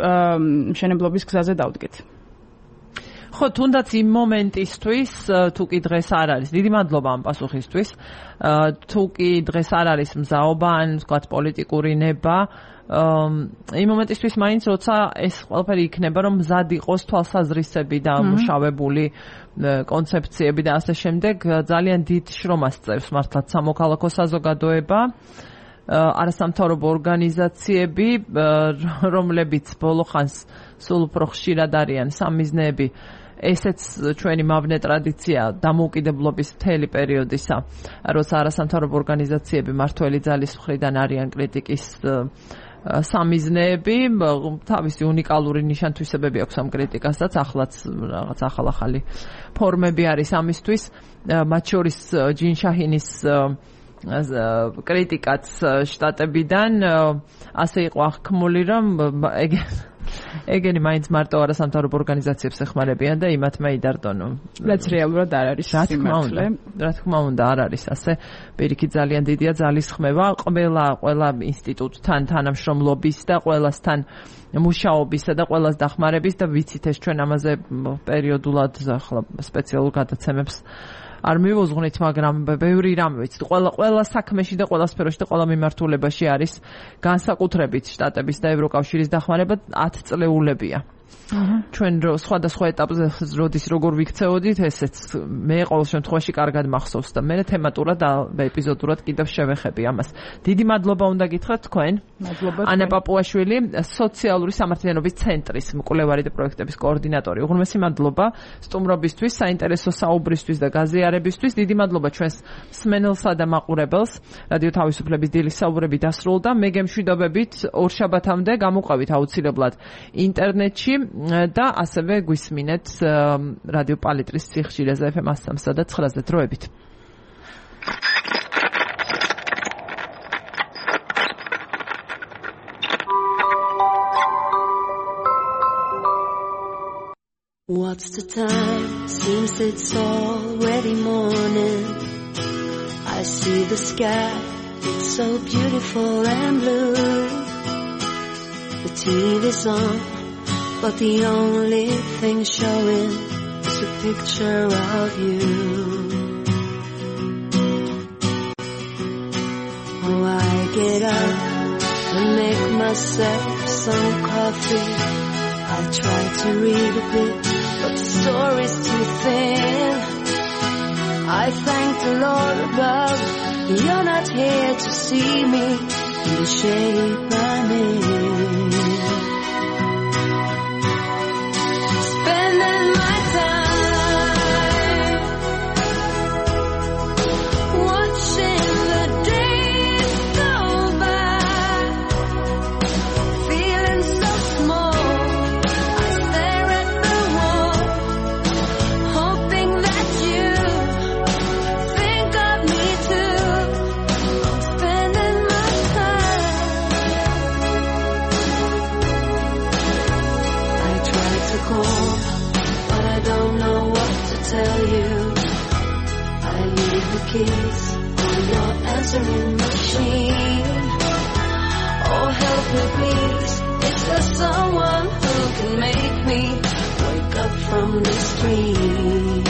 მშენებლობის გზაზე დავდგეთ. ხო, თუნდაც იმ მომენტისთვის თუ კი დღეს არ არის, დიდი მადლობა ამ პასუხისთვის. თუ კი დღეს არ არის მზაობა ან ვთქვათ პოლიტიკური ნება, იმ მომენტისთვის მაინც როცა ეს ყველაფერი იქნება, რომ მზად იყოს თვალსაზრისები და მუშავებული კონცეფციები და ასე შემდეგ, ძალიან დიდ შრომას წევს მართლაც სამოქალაქო საზოგადოება, არასამთავრობო ორგანიზაციები, რომლებიც ბოლო ხანს სულ უფრო ხშირად არიან სამიზნეები. ესეც ჩვენი მავნე ტრადიცია დამოუკიდებლობის მთელი პერიოდისა, როცა არასამთავრობო ორგანიზაციები მართველი ძალის მხრიდან არიან კრიტიკის სამიზნეები, თავისი უნიკალური ნიშან-თვისებები აქვს ამ კრიტიკასაც, ახლაც რაღაც ახალ-ახალი ფორმები არის ამისთვის, მათ შორის ჯინ შაჰინის კრიტიკაც შტატებიდან ასე იყო აღქმული, რომ ეგენი მაინც მარტო არასამთავრობო ორგანიზაციებს ეხმარებიან და იმათ მეიდარდონ. რაც რეალურად არ არის სიმართლე. რა თქმა უნდა, არ არის ასე. პირიქით ძალიან დიდია ძალისხმევა ყველა ყველა ინსტიტუტთან თანამშრომლობის და ყველასთან მუშაობისა და ყველას დახმარების და ვიცით ეს ჩვენ ამაზე პერიოდულად ახლა სპეციალურ გადაცემებს არ მივუძღვნით, მაგრამ ბევრი რამე ვიცით. ყველა ყველა საქმეში და ყველა სფეროში და ყველა მიმართულებაში არის განსაკუთრებით შტატების და ევროკავშირის დახმარება ათწლეულებია. ჩვენ სხვადასხვა ეტაპზე როდის როგორ ვიქცეოდით, ესეც მე ყოველ შემთხვევაში კარგად მახსოვს და მე თემატურად და ეპიზოდურად კიდევ შევეხები ამას. დიდი მადლობა უნდა გითხრათ თქვენ. მადლობა. ანა პაპუაშვილი, სოციალური სამართლიანობის ცენტრის მკვლევარი და პროექტების კოორდინატორი. უღრმესი მადლობა სტუმრობისთვის, საინტერესო საუბრისთვის და გაზიარებისთვის. დიდი მადლობა ჩვენს მსმენელსა და მაყურებელს. რადიო თავისუფლების დილის საუბრები დასრულდა. მე გემშვიდობებით ორშაბათამდე გამოყვებით აუცილებლად ინტერნეტში და ასევე გვისმინეთ რადიო პალიტრის სიხშირეზე ეფ ემ one oh three და nine-ზე დროებით. What's the time? Seems it's already morning. I see the sky, it's so beautiful and blue. The T V's on, but the only thing showing is a picture of you. Oh, I get up and make myself some coffee. I try to read a bit, but the story's too thin. I thank the Lord above, you're not here to see me in the shape I'm in. Spending my time watching the days go by, feeling so small. I stare at the wall, hoping that you think of me too. Spending my time. I try to call, but I don't know what to tell you. I leave the keys on your answering machine. Oh, help me please, is there someone who can make me wake up from this dream?